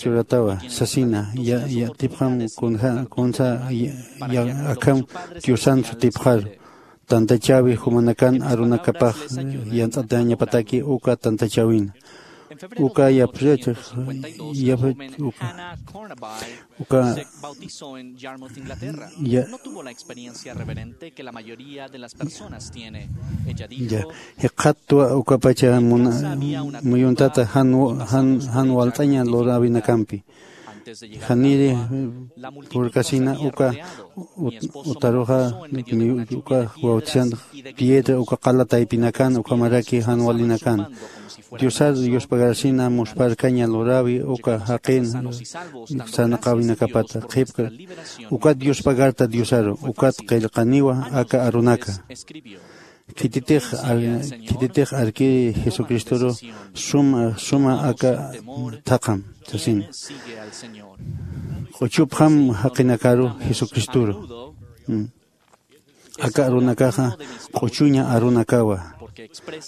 churatawa sasina, yatipxam kunsa akham diosan sutipxaru. Tantachäwi jumanakan arunakapax yants'atañapataki uka tantachäwina. Uka yapxachix, yapxach uka, uka ya, ya, jikxattwa ukapacha muyuntata jan walt'aña luräwinakampi. Janiri purkasina uka utaruxa uka bautisan piedra uka qala taypinakan ukhamaraki jan walinakan. Diosar yuspagarasina muspharkaña luräwi uka jaqin sarnaqäwinakapata qhipka. Ukat yuspagarta diosaru ukat qillqaniwa aka arunaka. Khititix arkiri jesucristoru suma suma aka thaqam sasina. Q'uchupxam jaqinakaru jesucristoru. Aka arunakaxa q'uchuña arunakawa.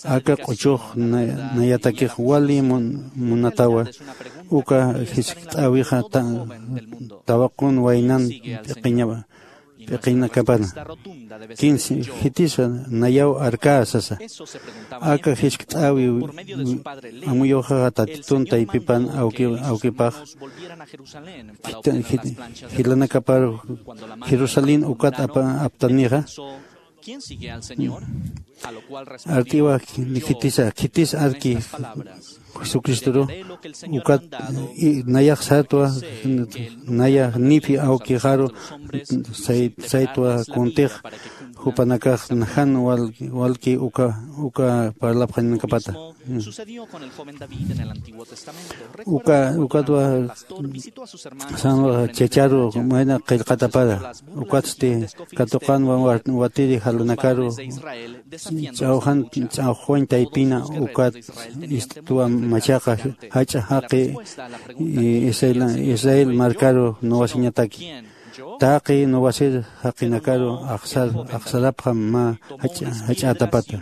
Aka q'uchux nayatakix wali munatawa. Uka jiskt'äwixa tawaqun waynan p'iqiñawa p'iqinakapana. Kinsi jitisa nayaw arkä sasa. Aka jiskt'äwi amuyuxaxa tatitun taypipan awkipax jilanakapar jerusalén ukat aptanixa. Art'iwa khitisa khitis arki jesucristoru ukat nayax sartwa naya nipi awkixaru saytwa kuntix jupanakax najan walki uka uka parlapxañanakapata. Uka ukatwa sanwa chacharu mayna qillqatapara. Ukatsti katuqanwa watiri jalanakaru ch'awjan ch'awjwañ taypina ukat istitwa machaqa jach'a jaqi israel markaru nuwasiñataki. Taqi nuwasir jaqinakaru axsarapxam mä jach'ätapata.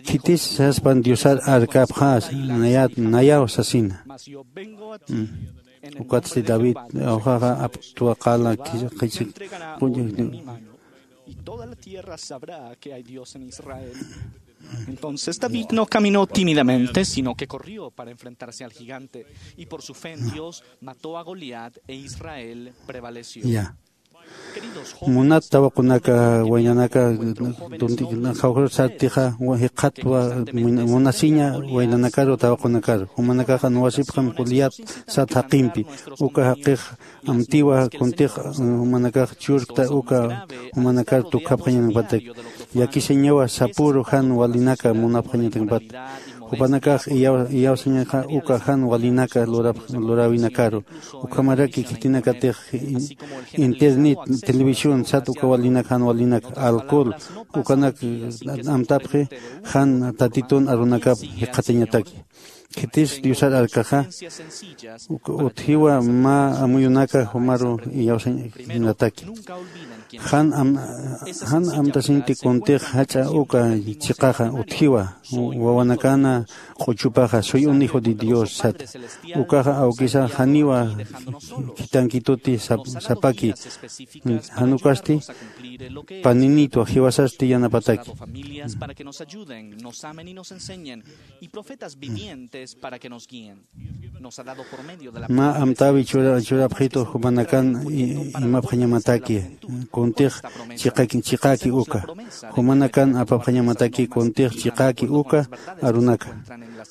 Khitis saspan diosar arkapxäs nayat nayaw sasina. Ukatsti david awjaxa aptwa qala qhichik. Y toda la tierra sabrá que hay Dios en Israel. Entonces David no caminó tímidamente, sino que corrió para enfrentarse al gigante, y por su fe en Dios mató a Goliat e Israel prevaleció. Munat tawaqunaka waynanaka tunti jawjir sartixa jikxatwa munasiña waynanakaru tawaqunakaru jumanakaxa nuwasipxam juliat sat jaqimpi. Uka jaqix amtiwa kuntix jumanakax churkta uka jumanakar tukxapxañanakpatak. Llakisiñawa sapüru jan walinaka munapxañanakpat. Jupanakax iyawsañaxa uka jan walinaka luräwinakaru. Ukhamaraki khitinakatix internet, televisión sat uka walinak jan walinak alcohol ukanak amtapxi jan tatitun arunakap jikxatañataki. Khitis diosar arkaxa utjiwa mä amuyunaka jumaru iyawsañataki. Jan am-, jan amtasinti kuntix jach'a uka chiqaxa utjiwa, wawanakana q'uchupaxa, "Soy un hijo de Dios", sat. Ukaxa awkisa janiwa khitankituti sap-, sapaki, jan ukasti paninitwa, jiwasasti yanapataki. Mä amtäwi chura-, churapxitu jumanakan i-, imapxañamataki, kuntix chiqaki, chiqäki uka. Jumanakan apapxañamataki kuntix chiqäki uka arunaka.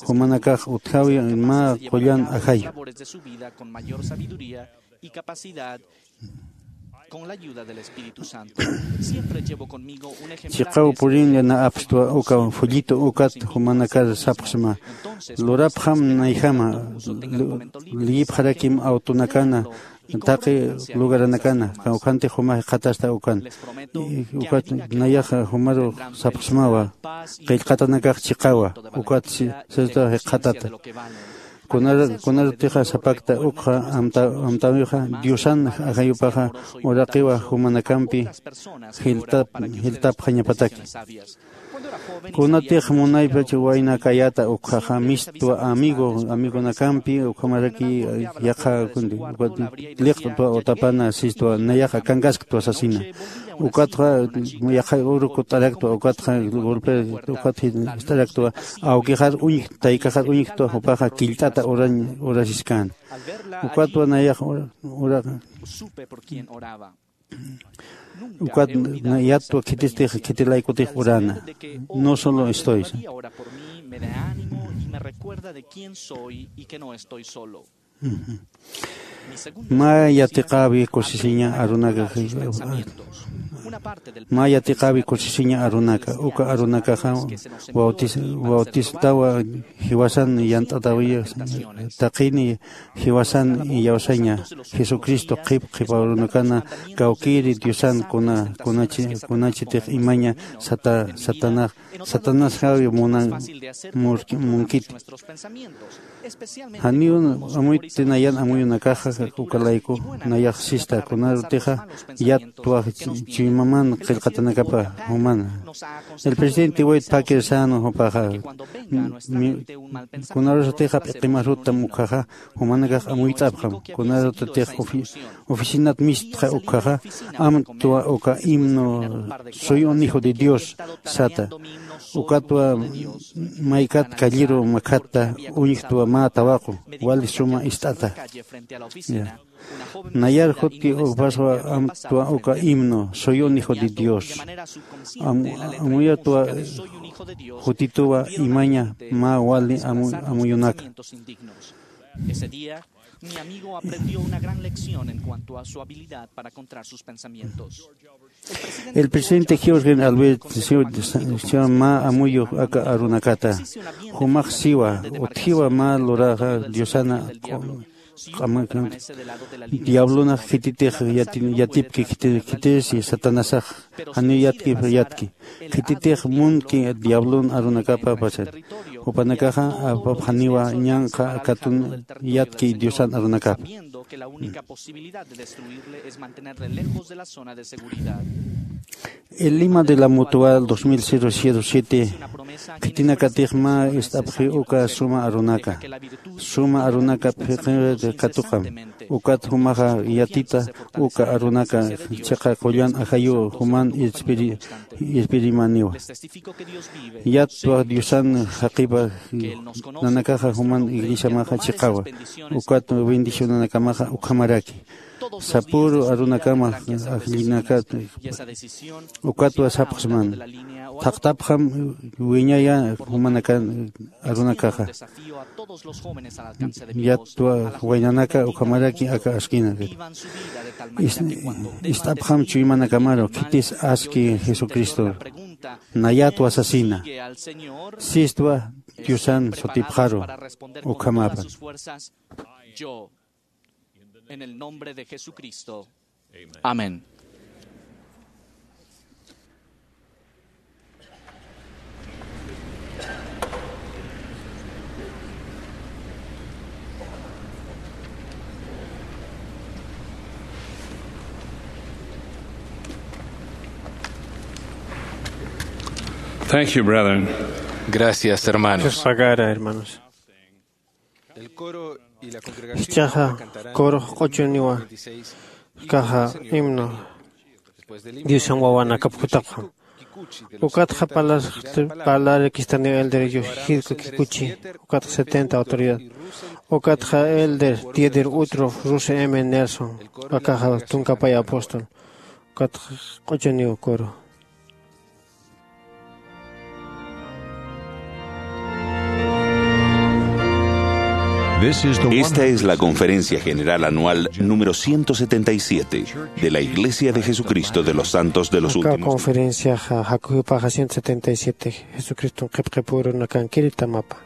Jumanakax utjawi mä qullan ajayu. Chiqaw purinlla na apstwa uka folleto ukat jumanakar sapxsma. Lurapxam nayjama, lu-, liyipxarakim awtunakana, taqi lugaranakana, kawkhanti jumax jikxatasta ukan. I ukat nayax jumaru sapxsmawa, qillqatanakax chiqawa, ukat si-, sista jikxatata. Kunar-, kunarutixa sapakta ukxa amta-, amtäwixa, Diosan ajayupaxa uraqiwa jumanakampi jiltap-, jiltapxañapataki. Kunatix munaypach waynakayäta ukxaxa, mistwa amigo, amigonakampi, ukhamaraki yaqha kundi, liqt'twa utapana sistwa, nayaxa akankasktwa sasina. Ukatxa yaqha uru kut'araktwa, ukatxa golpe, ukat jist'araktwa, awkixar uñj-, taykaxar uñjktwa, jupaxa killt'ata urañ-, urasiskäna. Ukatwa nayax ura-, ura-, ukat na-, yatwa khitistix, khitilaykutix urana. No solo estoy. Ujú. Mä yatiqäwi kusisiña arunaka, mä yatiqäwi kusisiña arunaka, uka arunakaxa bautis-, bautistawa jiwasan yant'atäwiya, taqini jiwasan iyawsaña, Jesucristo qhip qhipa arunakana, kawkïri Diosan kuna, kunachi, kunachitix imaña sata-, satana, Satanasxawi munan murki-, munkiti. Janiw amuyuti nayan amuyunakaxa ukalayku, nayax sista, kunarutixa yatwa ch-, chuymaman qillqatanakapa jumana. El presidente Wade Packer sän jupaxa, mi-, kunarusatixa p'iqimaruttam ukhaxa, jumanakax amuyt'apxam, kunarutatix ofi-, oficinat mistxa ukhaxa, amtwa uka himno, "Soy un hijo de Dios", sata. Ukatwa maykat calleru makhatta uñjtwa mä tawaqu, wali suma ist'ata. Ya. Nayar juti ukpaswa amtwa uka himno, "Soy un hijo de Dios". Am-, amuyatwa jutituwa imaña mä wali amu-, amuyunaka. Mi amigo aprendió una gran lección en cuanto a su habilidad para controlar sus pensamientos. El presidente George Albert Seward mä amuyu aka arunakata. Jumax siwa, utjiwa mä luraxa Diosana q'ama-, diablona khititix yati-, yatipki khiti-, khitisi Satanasax, janiw yatki, yatki. Khititix munki diablon arunakapa pasan. Jupanakaxa apapxaniwa ñanqha katun yatki Diosan arunakapa. El lima de la Mutual dos mil siete, khitinakatix mä ist'apxi uka suma arunaka. Suma arunaka phiqi katuqam. Ukat jumaxa yatita uka arunaka chiqa qullan ajayu juman irpiri-, irpirimaniwa. Yatwa Diosan jaqipa nanakaxa juman iglesiamaxa chiqawa. Ukat bendicionanakamaxa ukhamaraki. Sapüru arunakama ajllinakat ukatwa sapxsman. Thaqtapxam wiñaya jumanakan arunakaxa. Yatwa waynanaka ukhamaraki aka askina. Is-, ist'apxam chuymanakamaru, khitis aski Jesucristo. Nayatwa sasina. Sistwa Diosan sutipxaru. Ukhamapa. Yo, en el nombre de Jesucristo. Amén. Thank you, brethren. Gracias, hermanos. Dios pagara, hermanos. El coro y la congregación Jichhaxa cantarán coro q'uchuniwa, kaxa himno Diosan wawanakap jutapxam. Ukatxa parlar-, parlarkistaniw elder Yoshihiko Kikuchi, ukatxa setenta autoridad, ukatxa elder Dieter Utrof, Russell M. Nelson, akaxa tunkapay apóstol, ukatxa q'uchuniw coro. Esta es la conferencia general anual número ciento setenta y siete de la Iglesia de Jesucristo de los Santos de los Últimos Días. Conferencia ja-, jakujipaxa ciento setenta y siete, Jesucristo qhipqipurunakankiri tamapa.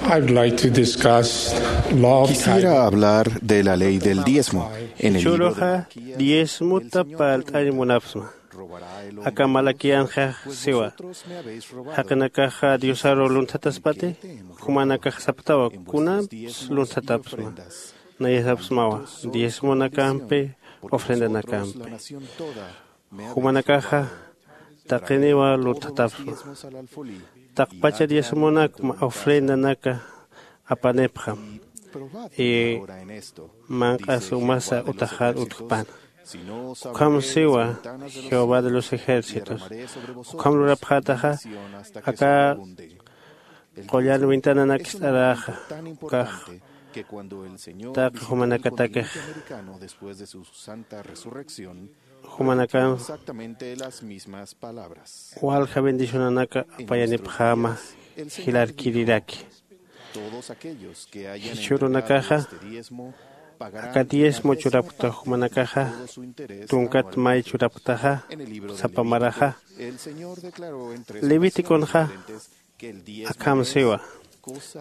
I'd like to discuss law of Quisiera tithing. Hablar de la ley del diezmo. En el libro de Jichhüruxa diezmota parlt'añ munapxsma. Aka Malaquianxa siwa. Jaqinakaxa Diosaru lunthataspati, jumanakax sapxtawa, kunampis lunthatapxsma. Nayasapxsmawa, diezmonakampi, ofrendanakampi. Jumanakaxa taqiniwa lunthatapxsma. Taqpacha diezmonakma ofrendanaka apanipxam. Y manq'as umasa utaxar utjpan. Ukham siwa Jehová de los ejércitos. Ukham lurapxätaxa, aka qullan ventananak ist'aräxa, ukax taqi jumanakatakix jumanakan walja bendicionanaka apayanipxäma jilarkiriraki. Jichhürunakaxa aka diezmo churapkta jumanakaxa, tunkat may churapktaxa, sapa maraxa. Leviticonxa akham siwa,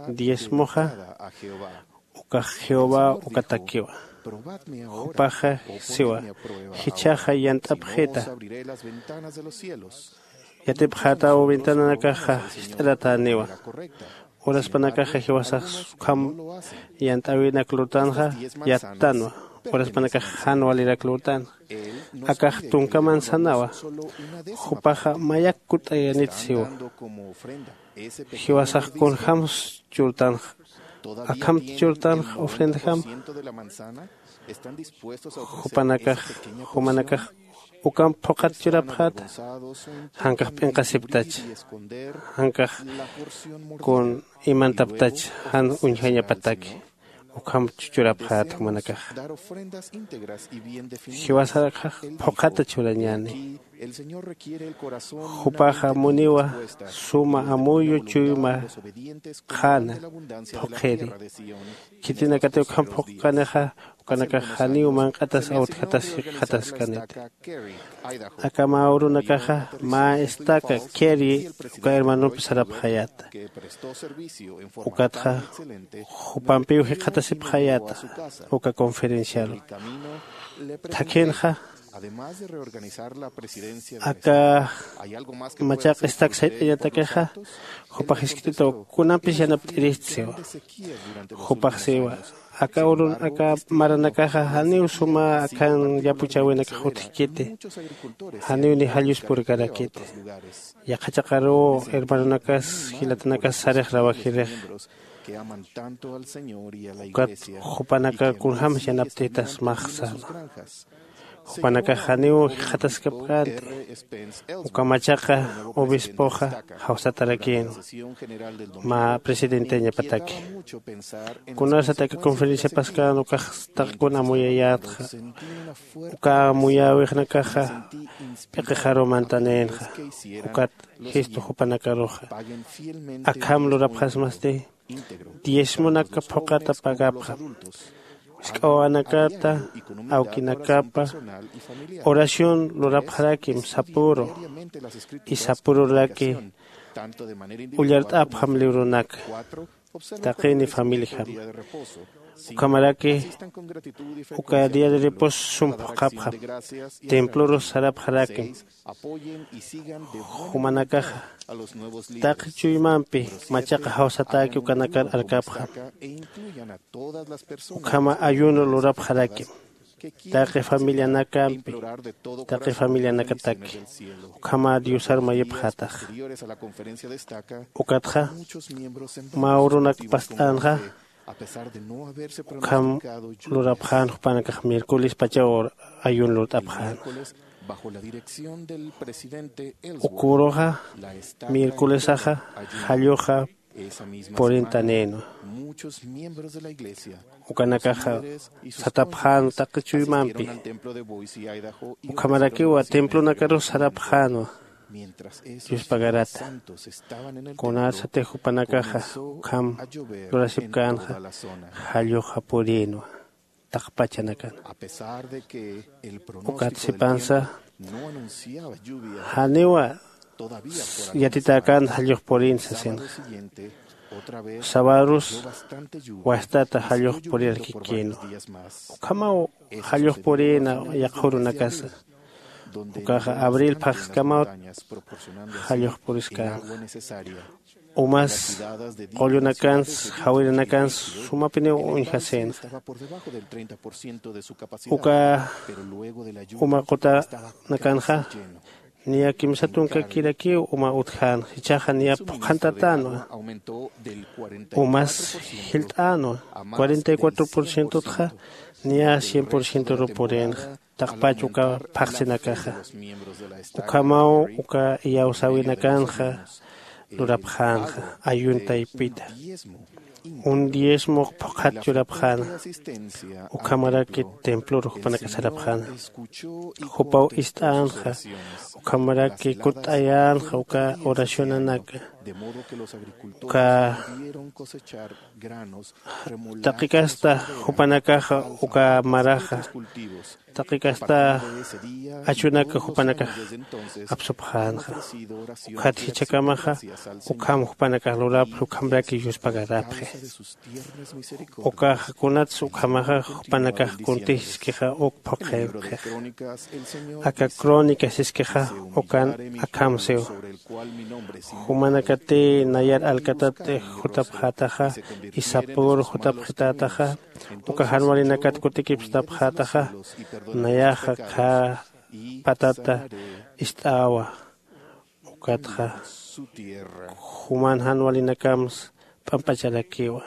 diezmoxa ukax Jehová ukatakiwa. Jupaxa siwa, jichhaxa yant'apxita. Yatipxätaw ventananakaxa jist'aratäniwa. Uraspanakaxa jiwasax ukham yant'äwinak lurtanxa yattanwa. Uraspanakax jan walirak lurtanxa. Akax tunkaman sanawa. Jupaxa mayak kutt'ayanit siwa. Jiwasax kunjams churtanxa, akhamt churtanxa ofrendjam. Jupanakax, jumanakax Ukamp phuqhat churapxäta. Jankax p'inqasiptach, jankax kun imantaptach jan uñjañapataki. Ukham chuchurapxäta jumanakaxa. Jiwasarakxax phuqhata churañäni. Jupaxa muniwa suma amuyu chuyma qhana phuqhiri. Khitinakatiw ukham phuqkanixa ukanakax janiw manq'atas awtjatas jikxataskaniti. Aka mä urunakaxa mä estaka Kerry uka hermanompi sarapxayäta. Ukatxa jupampiw jikxatasipxayäta uka conferenciaru. Thakhinxa aka machaq estak sayt'añatakixa jupax jiskt'itaw kunampis yanapt'irist siwa. Jupax siwa aka urun aka maranakaxa janiw suma akhan yapuchäwinakax utjkiti. Janiw ni jalluspurkarakiti. Yaqha chaqaruw hermanonakas jilatanakas sarix rawajirix. Ukat jupanaka kunjämsa yanapt'ita smax säna. Jupanakax janiw jikxataskapkänti. Uka machaqa obispoxa jawsatarakïnwa mä presidenteñapataki. Kunasat aka conferenciapaskän ukax taqi kun amuyayätxa uka amuyäwixnakaxa p'iqixaruw mantanïnxa. Ukat jistu jupanakaruxa akham lurapxasmasti diezmonaka phuqhata pagapxam. Jisk'a wawanakata awkinakapa oración lurapxarakim sapüru. Y sapüruraki ullart'apxam librunaka taqini familijama. Ukhamaraki uka día de reposo sum phuqhapxam. Templorus sarapxarakim. Jumanakaxa taqi chuymampi machaqa jawsatäki ukanakar arkapxam. Ukhama ayuno lurapxarakim taqi familianakampi taqi familianakataki. Ukhama diosar mayipxätaxa. Ukatxa mä urunak past'änxa ukham lurapxän jupanakax miércolespachaw ayuno lurt'apxänxa. Uka uruxa miércolesaxa jalluxa purintanïnwa. Ukanakaxa satapxänwa taqi chuymampi. Ukhamarakiwa templonakarus sarapxänwa yuspagarata. Kunasatix jupanakaxa ukham lurasipkänxa jalluxa purïnwa taqpachanakan. Ukat sipansa janiwa yatitäkän jallux purïn sasinxa. Sabarus wastata jallux purirakkïnwa. Ukhamaw jallux purïna yaqha urunakasa. Ukaxa abril phaxskamawt jallux puriskänxa. Umas qullunakans jawirinakansa sumapiniw uñjasïnxa. Uka uma qutanakanxa niya kimsa tunkakirakiw uma utjänxa. Jichhaxa niya phuqhantatänwa. Umas jilt'änwa. Cuarenta y cuatro por cientotxa niya cien por cientoruw purïnxa taqpach uka phaxsinakaxa. Ukhamaw uka iyawsäwinakanxa lurapxänxa ayuno taypita. Un diezmo phuqhat churapxäna. Ukhamaraki templor jupanaka sarapxäna. Jupaw ist'änxa. Ukhamaraki kutt'ayänxa uka oracionanaka. Uka taqikasta jupanakaxa uka maraxa taqikasta achunaka jupanakax apsupxänxa. Ukhat jichhakamaxa ukham jupanakax lurapxi ukhamraki yuspagarapxi. Ukaxa kunatsa ukhamaxa jupanakax kuntix siskixa uk phuqhipxix. Aka crónica siskixa ukan akham siw. Jumanakati nayar alkatat jutapxätaxa y sapüru jutapxitätaxa uka jan walinakat kutikipstapxätaxa nayaxa khä patata ist'äwa. Ukatxa juman jan walinakamsa p'amp'acharakiwa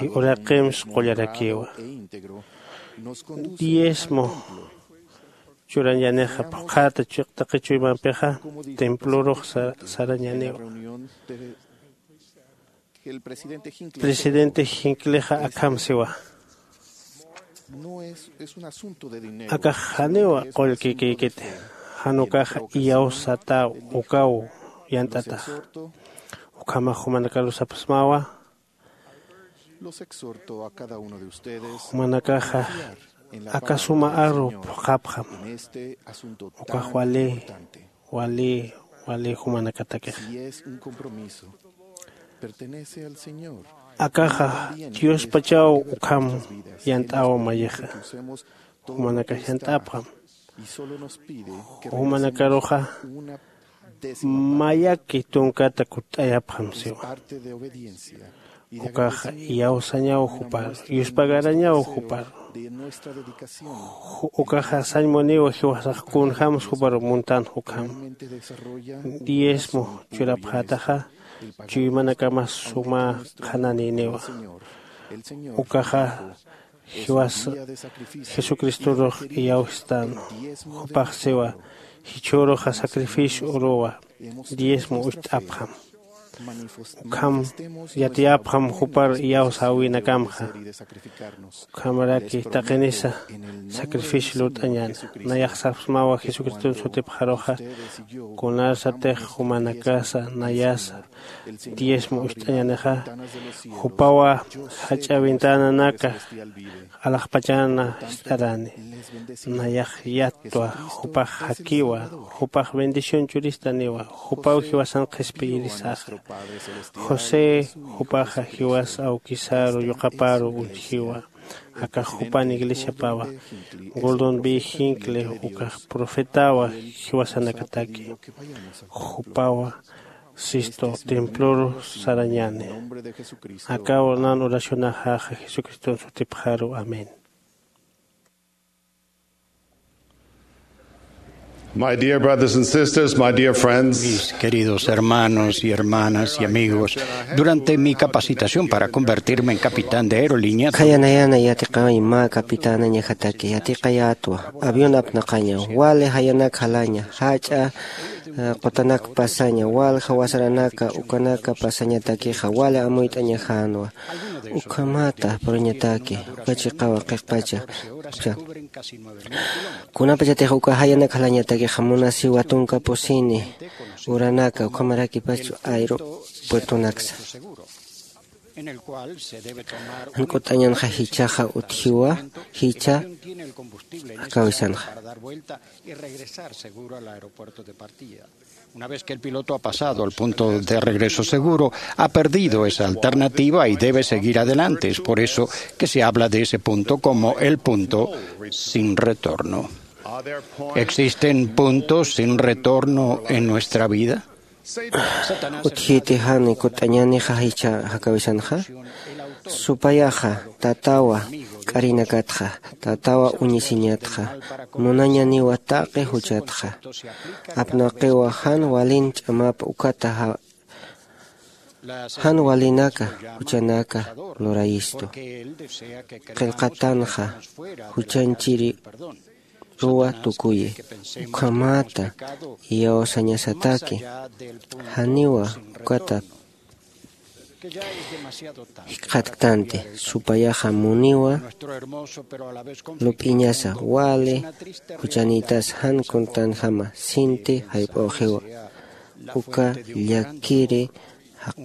y uraqims qullarakiwa. Diezmo churañanixa phuqhata chiqtaqi chuymampixa templorux sarañaniwa. Presidente jinklixa akham siwa. Akax janiwa qullkikïkiti. Janukaxa iyawsataw ukaw yant'ataxa. Ukhamax jumanakarusapxsmawa. Jumanakaxa aka suma aru phuqhapxam. Ukax wali wali wali jumanakatakixa. Akaxa diospachaw ukham yant'aw mayixa. Jumanakax yant'apxam. Jumanakaruxa mayaki tunkata kutt'ayapxam siwa. Ukaxa iyawsañaw juparu, yuspagarañaw juparu. Ukaxa sañmuniwa jiwasax kunjämsa juparu muntanx ukham. Diezmo churapxätaxa chuymanakamas suma qhananïniwa. Ukaxa jiwas jesucristorux iyawstan. Jupax siwa, jichhüruxa sacrificio uruwa, diezmo ucht'apxam. Ukham yatiyapxam jupar iyawsäwinakamxa. Ukhamaraki taqinisa sacrificio lurt'añäna. Nayax sapxsmawa jesucriston sutipxaruxa, kunarsatix jumanakasa nayasa diezmo ucht'añänixa, jupawa jach'a ventananaka alaxpachana jist'arani. Nayax yattwa, jupax jakiwa, jupax bendición churistaniwa, jupaw jiwasan qhispiyirisaxa. José jupaxa jiwas awkisaru yuqaparu uñjiwa. Akax jupan iglesiapawa. Gordon B Hinckley ukax profetawa jiwasanakataki. Jupawa sistu temploru sarañäni. Akaw nan oracionaxaxa jesucriston sutipxaru. Amén. My dear brothers and sisters, my dear friends, mis queridos hermanos y hermanas y amigos, durante mi capacitación para convertirme en capitán de aerolínea, khayanayana yatiqawañ mä capitanañajataki yatiqayätwa. Avión apnaqaña wali jayanak jalaña jach'a, eh, qutanak pasaña walja wasaranaka ukanaka pasañatakixa wali amuyt'añajänwa. Ukhamata puriñataki uka chiqawa qhiqpacha. Kunapachatix uka jayanak jalañatakixa munasiwa tunka pusini uranaka ukhamarakipachu aeropuertonaksa. Jan k'ut'añanxa jichhaxa utjiwa jichha jakawisanxa. Una vez que el piloto ha pasado al punto de regreso seguro, ha perdido esa alternativa y debe seguir adelante. Es por eso que se habla de ese punto como el punto sin retorno. ¿Existen puntos sin retorno en nuestra vida? Utjiti jan kut'añänixa jichha jakawisanxa. Supayaxa tatawa k'arinakatxa, tatawa uñisiñatxa, munañaniwa taqi juchatxa. Apnaqiwa jan walin ch'amap ukata ja-, jan walinaka juchanaka lurayistu. Qillqatanxa juchanchiri ruwa tukuyi. Ukhamata iyawsañasataki janiwa ukata jikxatktanti. Supayaxa muniwa lup'iñasa wali juchanïtas jan kuntanjama sinti jayp'üxiwa. Uka llakiri jaq-,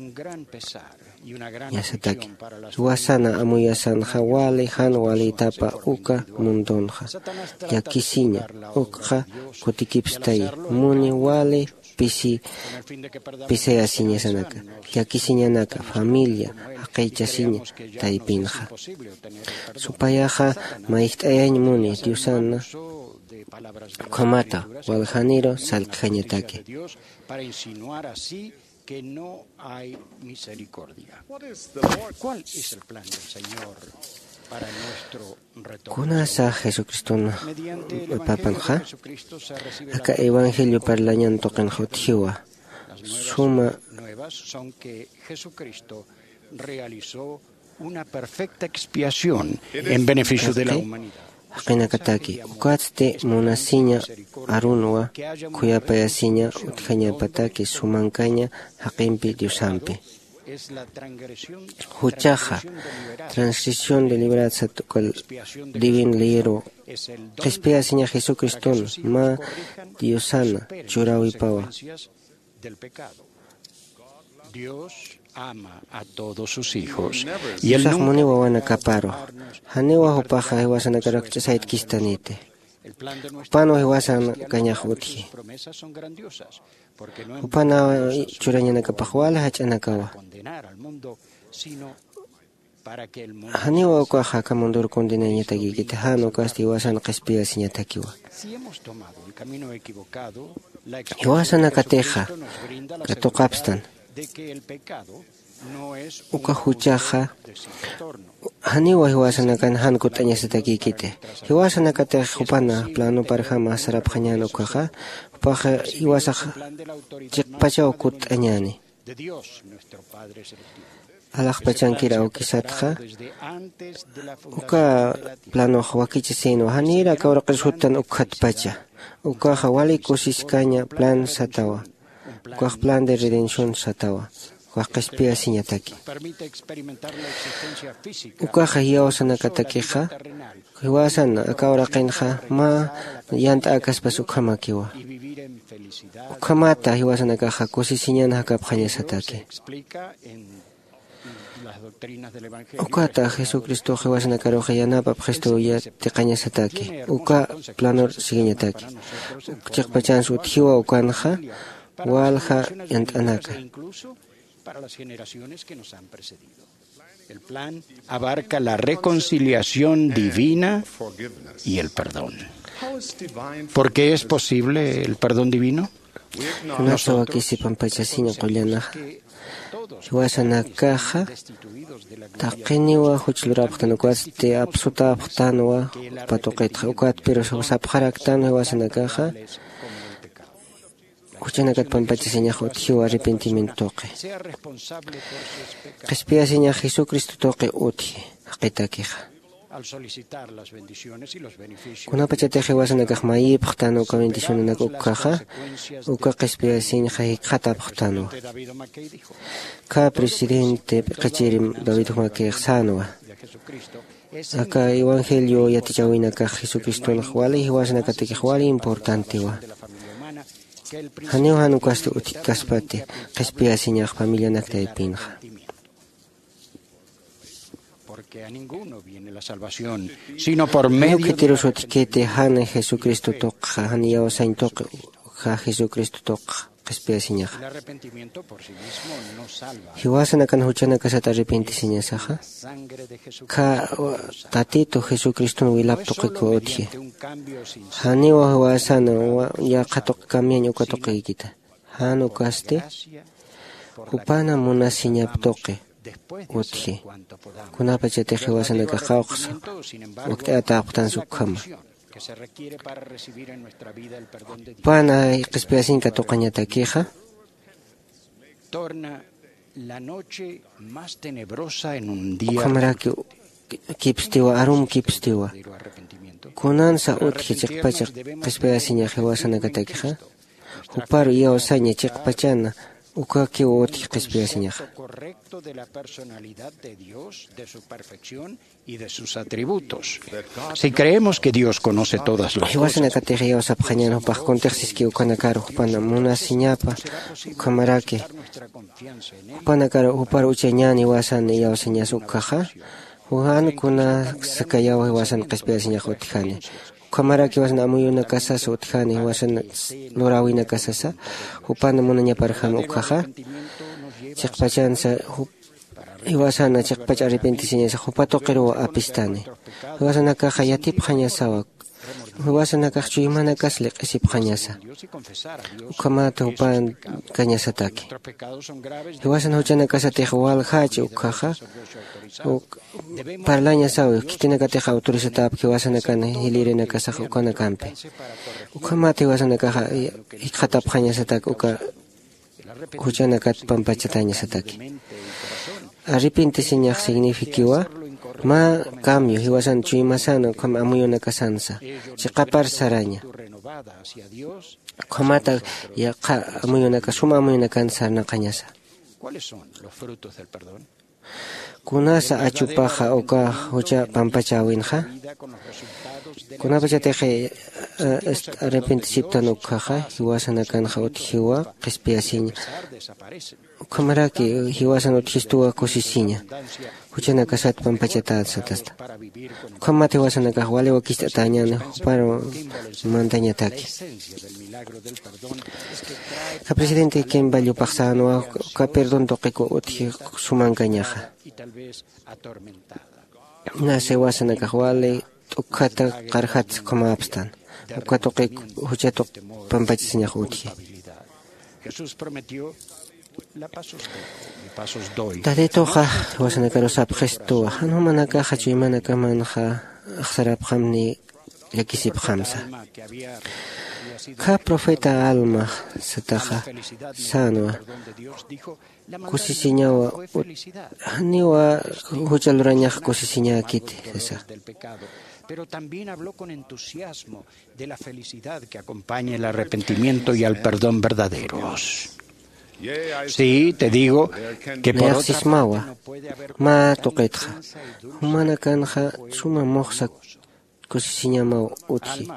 ñasataki. Jiwasana amuyasanxa wali jan walïtapa uka mundunxa. Llakisiña ukxa kutikipstayi. Muni wali pisi pisayasiñasanaka. Llakisiñanaka familia jaqïchasiña taypinxa. Supayaxa mayjt'ayañ muni diosana ukhamata waljaniru sallqjañataki. Para insinuar así que no hay misericordia. ¿Cuál es el plan del Señor para nuestro retorno? Kunasa Jesucristun papanxa aka evangelio parlañan tuqinxa utjiwa. Suma nuevas son que Jesucristo realizó una perfecta expiación en beneficio de la humanidad. jaqinakataki. Ukatsti munasiña arunwa, khuyapayasiña utjañapataki sumankaña jaqimpi Diosampi. Juchaxa, transgresión deliberada sat uka divin leyeru, qhispiyasiña Jesucriston mä Diosana churawipawa. Dios ama a todos sus hijos. Y él Diosax nunca muniw wawanakaparu. Janiwa jupaxa jiwasanakaru akch'asaytkistaniti. Jupanwa jiwasanakañax utji. Jupana churañanakapax wal jach'anakawa. Janiwa ukaxa aka mundur condenañatakïkiti, jan ukasti jiwasan qhispiyasiñatakiwa. Jiwasanakatixa katuqapstan. Uka juchaxa janiwa jiwasanakan jan kutt'añasatakïkiti. Jiwasanakatix jupana planuparjama sarapxañän ukaxa, jupaxa jiwasax chiqpachaw kutt'añäni. Alaxpachankir awkisatxa, uka planox wakichisïnwa, janïr aka uraqir suttan ukkhatpacha. Ukaxa wali kusiskaña plan satawa. Ukax plan de redención satawa. Ukax qhispiyasiñataki. Ukaxa jiyawsanakatakixa, jiwasan aka uraqinxa mä yant'äkaspas ukhamakiwa. Ukhamata jiwasanakaxa kusisiñan jakapxañasataki. Ukata Jesucristox jiwasanakaruxa yanapapxistu yatiqañasataki. Uka planor siguiñataki. Chiqpachans utjiwa ukanxa walja yant'anaka. Abarca la reconciliación divina y el perdón. ¿Por qué es posible el perdón divino? Kunatsa wakisi pampachasiña qullanaxa. Jiwasanakaxa taqiniwa juch lurapxtan, ukatsti apsutäpxtanwa jupa tuqitxa. Ukat pero sapxaraktanwa jiwasanakaxa juchanakat pampachasiñax utjiw arrepentimiento tuqi. Qhispiyasiñax Jesucristo tuqi utji jaqitakixa. Kunapachatix jiwasanakax mayipxtan uka bendicionanak ukhaxa, uka qhispiyasiñxa jikxatapxtanwa. Ka presidente p'iqichiri David jumakix sänwa. Aka evangelio yatichäwinakax Jesucristonx wali jiwasanakatakix wali importantewa. Janiw jan ukasti utjkaspati qhispiyasiñax familianak taypinxa. Porque a ninguno viene la salvación, sino por medio de la repentimiento. Janiw khitirus utjkiti jan Jesucristo tuqxa, jan iyawsañ tuqi, ukkha Jesucristo tuqxa qhispiyasiñaxa. Jiwasanakan juchanakasat arrepentisiñasaxa, kha Tatitu Jesucriston wilap tuqikiw utji. Janiw jiwasana yaqha tuqi cambiañ uka tuqikita. Jan ukasti jupana munasiñap tuqi utji. Kunapachatix jiwasanakax qawqsa wakt'atäpxtansa ukhama. Jupana qhispiyasiñ katuqañatakixa, ukhamaraki kipstiwa, arum kipstiwa. Kunansa utji chiqpacha qhispiyasiñax jiwasanakatakixa, juparu iyawsaña chiqpachana ukakiw utji qhispiyasiñaxa. Y de sus atributos. Si creemos que Dios conoce todas las cosas, jiwasanakatix iyawsapxañän jupax kuntix siski ukanakaru jupan munasiñapa, ukhamaraki jupanakaru jupar uchañän jiwasan iyawsañas ukkhaxa, jan kunasakayaw jiwasan qhispiyasiñax utjani. Ukhamaraki jiwasan amuyunakasasa utjani, jiwasan luräwinakasasa, jupan munañaparjam ukkhaxa, chiqpachansa jiwasana chiqpach arrepentisiñasa jupa tuqiruw apistani. Jiwasanakaxa yatipxañasawa. Jiwasanakax chuymanakas liq'isipxañasa. Ukhamat jupan kañasataki. Jiwasan juchanakasatix waljächi ukkhaxa, uk parlañasawi, khitinakatix autorizatäpki jiwasanakan jilïrinakasax ukanakampi. Ukhamat jiwasanakaxa jikxatapxañasatak uka juchanakat pampachatañasataki. Arrepentisiñax signifikiwa, Mä cambio jiwasan chuymasan ukham amuyunakasansa chiqapar saraña. Ukhamata yaqha amuyunaka suma amuyunakan sarnaqañasa. ¿Kunasa achupaxa uka jucha pampachäwinxa? Kunapachatix arrepentisiptan ukkhaxa jiwasanakanxa utjiwa qhispiyasiña. Ukhamaraki jiwasan utjistuwa kusisiña juchanakasat pampachatät satasta. Ukhamat jiwasanakax wali wakist'atäñäni jupar mantañataki. Ka presidente kimba llupaxsänwa uka perdón tuqiku utji sumankañaxa. Nasa jiwasanakax wali t'ukkhata qarjat ukhamäpstan uka tuqi jucha tuq pampachasiñax utji. Tatituxa jiwasanakaru sapxistuwa jan jumanakaxa chuymanakamanxa axsarapxamni llakisipxamsa. Kha profeta alma sataxa sänwa kusisiñawa janiwa jucha lurañax kusisiñäkiti sasa. Pero también habló con entusiasmo de la felicidad que acompaña el arrepentimiento y al perdón verdaderos. Sí, te digo que por otra parte no puede haber una esperanza y duda. Nayax sismawa mä tuqitxa jumanakanxa suma muxsa kusisiñamaw utji.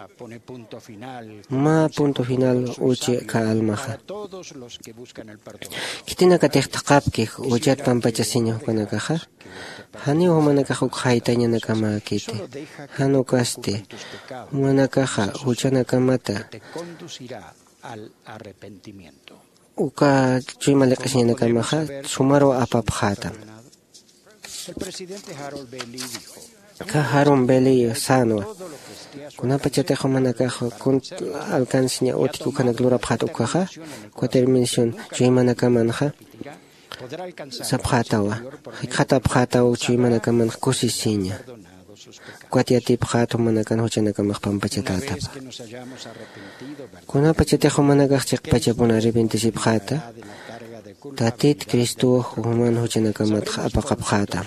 Mä punto final uchi aka almaxa. Khitinakatix thaqhapki juchat pampachasiña jupanakaxa janiw jumanakax uk jaytañanakamäkiti. Jan ukasti jumanakaxa juchanakamata uka chuyma liq'isiñanakamaxa sumarwa apapxätam. Kha Harold Bellier sänwa kunapachatix jumanakax kunt alcanceña utjki ukhanak lurapxät ukkhaxa cuatro mil chuymanakamanxa sapxätawa jikxatapxätaw chuymanakamanx kusisiña. Ukat yatipxät jumanakan juchanakamax pampachatätapa. Kunapachatix jumanakax chiqpachapun arrepentisipxäta tatit cristow juman juchanakamatx apaqapxätam.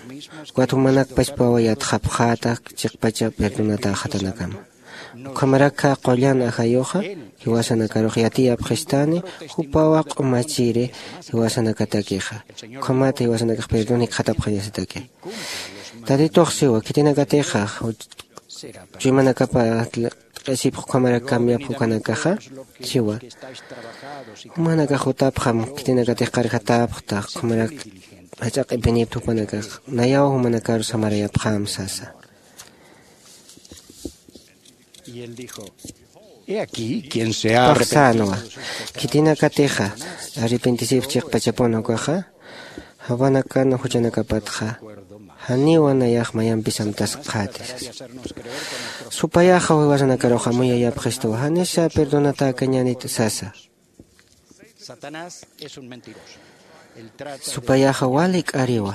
Ukat jumanakpachpawa yatxapxäta chiqpacha perdonatäxatanakama. Ukhamarak qullan ajayuxa jiwasanakarux yatiyapxistani jupawa q'umachiri jiwasanakatakixa. Ukhamat jiwasanakax perdón jikxatapxañasataki. Tatitux siwa khitinakatixa chuymanakapa t'q'isipx ukhamarak cambiapx ukanakaxa siwa jumanakax jutapxam khitinakatix qarjatäpxta ukhamarak jach'a q'ipinipta jupanakax nayaw jumanakaru samarayapxam sasa. He aquí quien se ha arrepentido. Sänwa khitinakatixa arrepentisipx chiqpachapun ukaxa jawanakan juchanakapatxa janiwa nayax mayampis amtaskxäti sasa. Supayaxa jiwasanakaruxa amuyayapxistuwa janisa perdonatäkañänit sasa. Supayaxa wali k'ariwa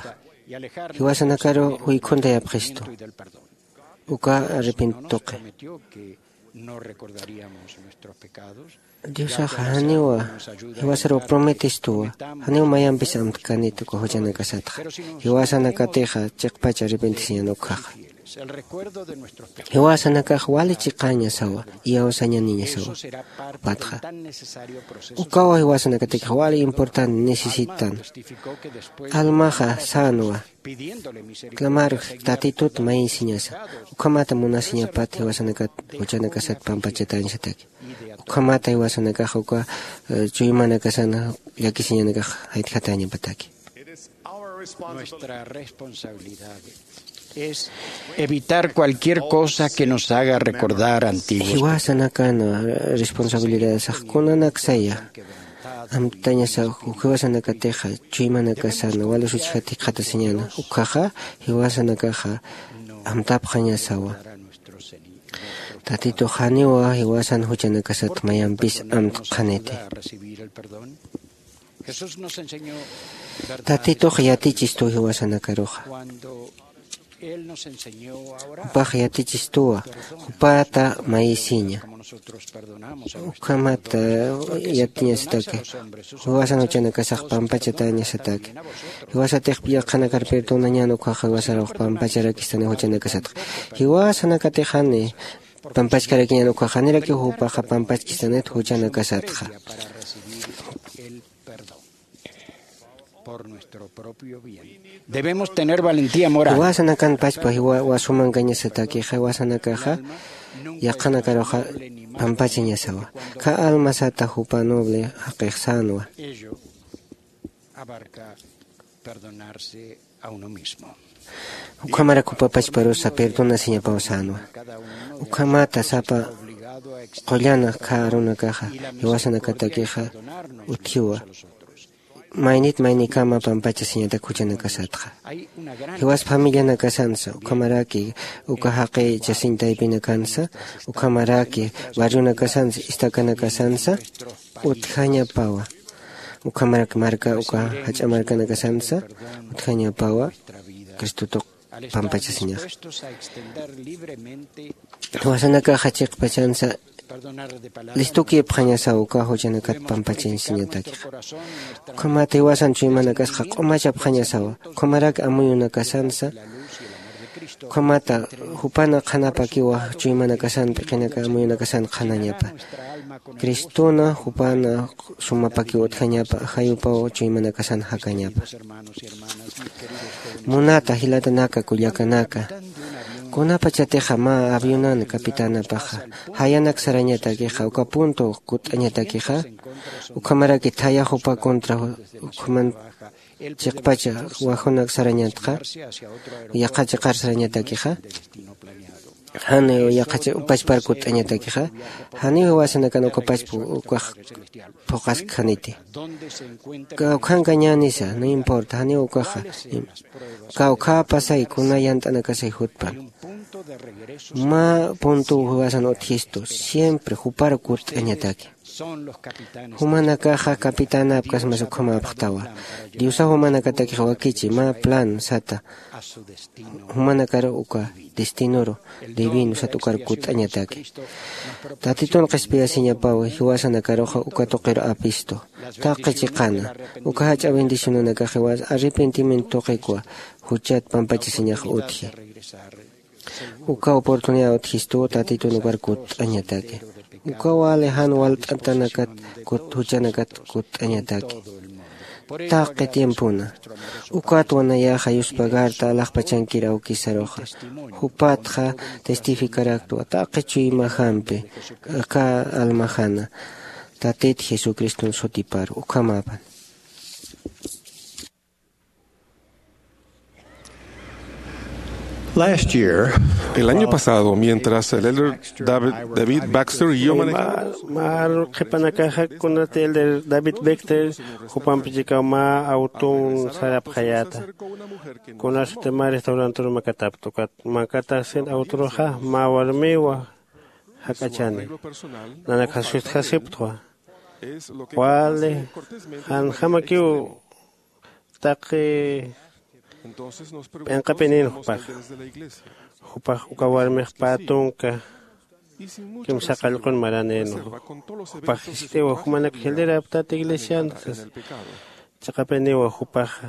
jiwasanakaru juykhuntayapxistu uka arrepentituqi. Diosaxa janiwa jiwasaruw prometistuwa janiw mayampis amtkanit uka juchanakasatxa. Jiwasanakatixa chiqpacha arrepentisiñan ukkhaxa jiwasanakax wali chiqañasawa iyawsañaniñasawa. Jupatxa ukawa jiwasanakatikix wali importante necesitan. Almaxa sänwa clamar tatitut mayisiñasa ukhamata munasiñapat jiwasanakat juchanakasat pampachatañasataki. Ukhamata jiwasanakax uka chuymanakasan llakisiñanakax jaytjatañapataki. Nuestra responsabilidad es evitar cualquier cosa que nos haga recordar antiguos. Jiwasanakan responsabilidad saxkunanaksaya amtañasa jiwasanakatixa chuymanakasan wali suchjat jikxatasiñana ukkhaxa jiwasanakaxa amtapxañasawa. Tatitux janiwa jiwasan juchanakasat mayampis amtqaniti. Tatitux yatichistu jiwasanakaruxa Jupax yatichistuwa, jupata mayisiña. Ukhamata yatiñasataki, jiwasan juchanakasax pampachatañasataki. Jiwasatix yaqhanakar perdonañan ukhaxa jiwasaraw pampacharakistanix juchanakasatxa. Jiwasanakatixani pampachkarakiñan ukhaxa janirakiw jupaxa pampachkistanit juchanakasatxa. Debemos tener valentía moral. Jiwasanakan pachpa jiwa wasumankañasatakixa jiwasanakaxa yaqhanakaruxa pampachañasawa. Kha almasata jupa noble jaqix sänwa. Abarca perdonarse a uno mismo. Ukhamarak jupa pachparusa perdonasiñapaw sänwa. Ukhamata sapa qullana kha arunakaxa jiwasanakatakixa utjiwa. Maynit maynikama pampachasiñatak juchanakasatxa. Jiwas familianakasansa ukhamaraki uka jaqi chasiñ taypinakansa ukhamaraki barrionakasansa istakanakasansa utjañapawa. Ukhamarak marka uka jach'a markanakasansa utjañapawa. Cristotuq pampachasiñaxa. Jiwasanakaxa chiqpachansa listukipxañasaw uka juchanakat pampachasiñatakixa. Ukhamata jiwasan chuymanakasxa q'umachapxañasawa. Ukhamaraki amuyunakasansa ukhamata jupana qhanapakiwa chuymanakasan p'iqinaka amuyunakasan qhanañapa. Cristona jupana sumapakiw utjañapa ajayupaw chuymanakasan jakañapa. Munata jilatanaka kullakanaka, kunapachatixa mä avionan capitanapaxa jayanak sarañatakixa uka punto kutt'añatakixa ukhamaraki thaya jupa contra ukhaman chiqpacha wajunak sarañatxa yaqha chiqar sarañatakixa. Janiw yaqha pachpar kutt'añatakixa janiw jiwasanakan uka pachpa ukax phuqaskjaniti. Kawkhankañänisa no importa janiw ukaxa. Kawkhäpasay kuna yant'anakasay jutpan mä puntuw jiwasan utjistu siempre jupar kutt'añataki. Jumanakaxa capitanapkasmas ukhamäpxtawa. Diosaw jumanakatakix wakichi mä plan sata jumanakar uka destinoru divino sat ukar kutt'añataki. Tatitun qhispiyasiñapaw jiwasanakaruxa uka tuqiru apistu taqi chiqana uka jach'a bendicionanakax jiwas arrepentimiento tuqikwa juchat pampachasiñax utji. Uka oportunidad utjistuw tatitun ukar kutt'añataki. Uka wali jan walt'atanakat juchanakat kutt'añataki taqi tiempona. Ukatwa nayaxa yuspagarta alaxpachankir awkisaruxa jupatxa testificaraktwa taqi chuymajampi aka almajana tatit jesucriston sutiparu ukhamapan. El año pasado, mientras el elder David, David Baxter y yo manejamos, mar qhipanakaxa kunati elder David Baxter jupampichikaw mä awtun sarapxayäta. Kunasati mä restaurantur makatapta ukat makatasin awturuxa mä warmiwa jak'achani. Nanakxa sustjasiptwa wali janjamakiw taqi p'inqapinin jupaxa. Jupax uka warmix pä tunka kimsa qallqun maranïnwa. Jupax jiskt'iwa jumanak jiliraptät iglesian sasa. Chiqapiniwa jupaxa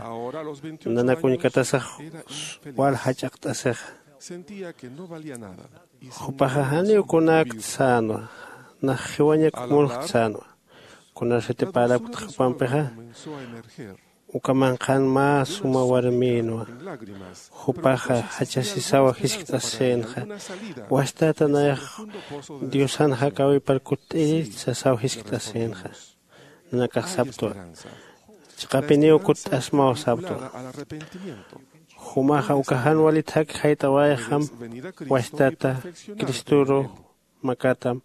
nanak uñkatasax wal jach'aqt'asixa. Jupaxa janiw kunäkt sänwa. Nax jiwañak munxt sänwa. Kunasati parapkt jupampixa uka manqhan mä suma warmïnwa. Jupaxa jachasisawa jiskt'asïnxa. Wastata nayax diosan jakäwipar kutt'iri sasaw jiskt'asïnxa. Nanakax saptwa chiqapiniw kutt'asmaw saptwa. Jumaxa uka jan walit jaki jayt'awayxam wastata cristoru makatam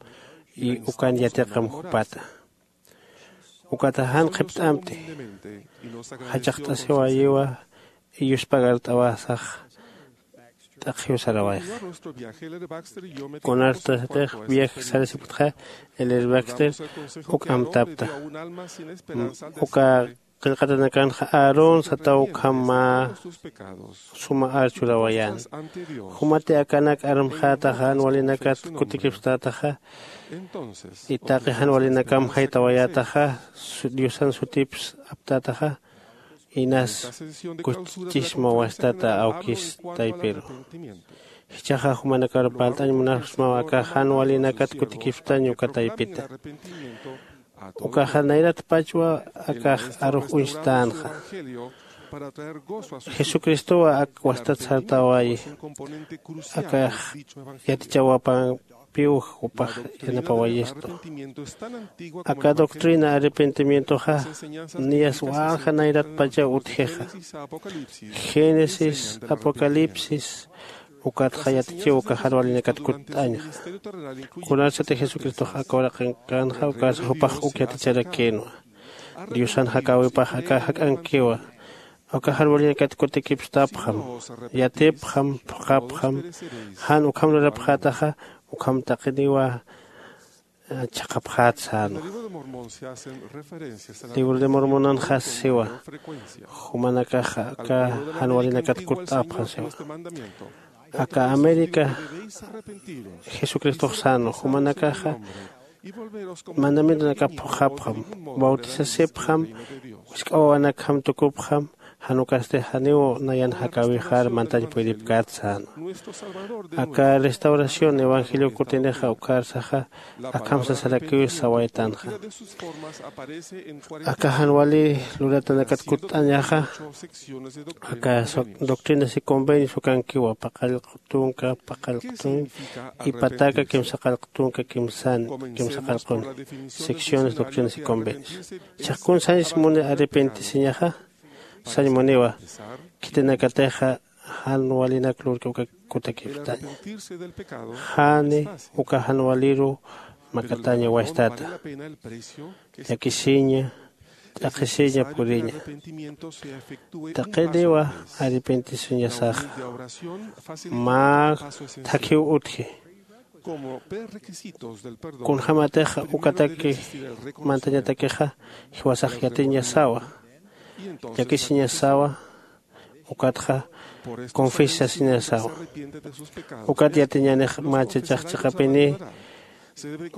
y ukan yatiqam jupata. Ukata jan qhipt'amti jachaqt'asiwayiwa y yuspagart'awasax t'aqhiw sarawayxa. Kunartasatix viaje sarasipktxa elder baxter uk amtapta uka qillqatanakanxa aarón sataw ukham mä suma ar churawayän. Jumati akanak armxätaxa jan walinakat kutikipstätaxa, y taqi jan walinakam jaytawayätaxa, diosan sutips aptätaxa, inas kuchchisma wastata awkis taypiru. Jichhaxa jumanakar parlt'añ munapxsmaw aka jan walinakat kutikipstañ uka taypita. Ukaxa nayratpachwa akax arux uñstänxa. Jesucristowa ak wastat sartawayi. Akax yatichawapampiw jupax yanapawayistu. Aka doctrina arrepentimientoxa niyas walja nayratpachaw utjixa. Génesis, Apocalipsis, ukatxa yatichiw uka jan walinakat kutt'añxa. Kunarsati jesucristox aka uraqinkanxa ukarsa jupax uk yaticharakïnwa. Diosan jakäwipax aka jak'ankiwa. Uka jan walinakat kutikipstapxam, yatipxam, phuqhapxam. Jan ukham lurapxätaxa ukham taqiniwa chhaqhapxät sänwa. Libro de mormonanxa siwa, jumanakaxa aka jan walinakat kutt'apxam siwa. Aka américa jesucristox sänwa, jumanakaxa mandamientonakap phuqhapxam, bautisasipxam, wisk'awawanakjam tukupxam, jan ukasti janiw nayan jakäwixar mantañ puyripkät sänwa. Aka restauración evangelio kutinixa ukarsaxa akham sasarakiw sawaytanxa. Aka jan wali luratanakat kutt'añaxa aka doctrinas y convenios ukankiwa paqallq tunka paqallq tunka y pataka kimsa qallq tunka kimsan kimsa qallqun. Secciones, doctrinas y convenios. Chhaqkun sañs muni arrepentisiñaxa sañ muniwa. Khitinakatixa jan walinak lurki uka kutakipstaña. Jani uka jan waliru makataña wastata, llakisiña, t'aqhisiña puriña. Taqiniwa arrepentisiñasaxa mä thakhiw utji. Kunjämatix ukataki mantañatakixa jiwasax yatiñasawa, llakisiñasawa, ukatxa confesasiñasawa. Ukat yatiñänix mä chachax chiqapini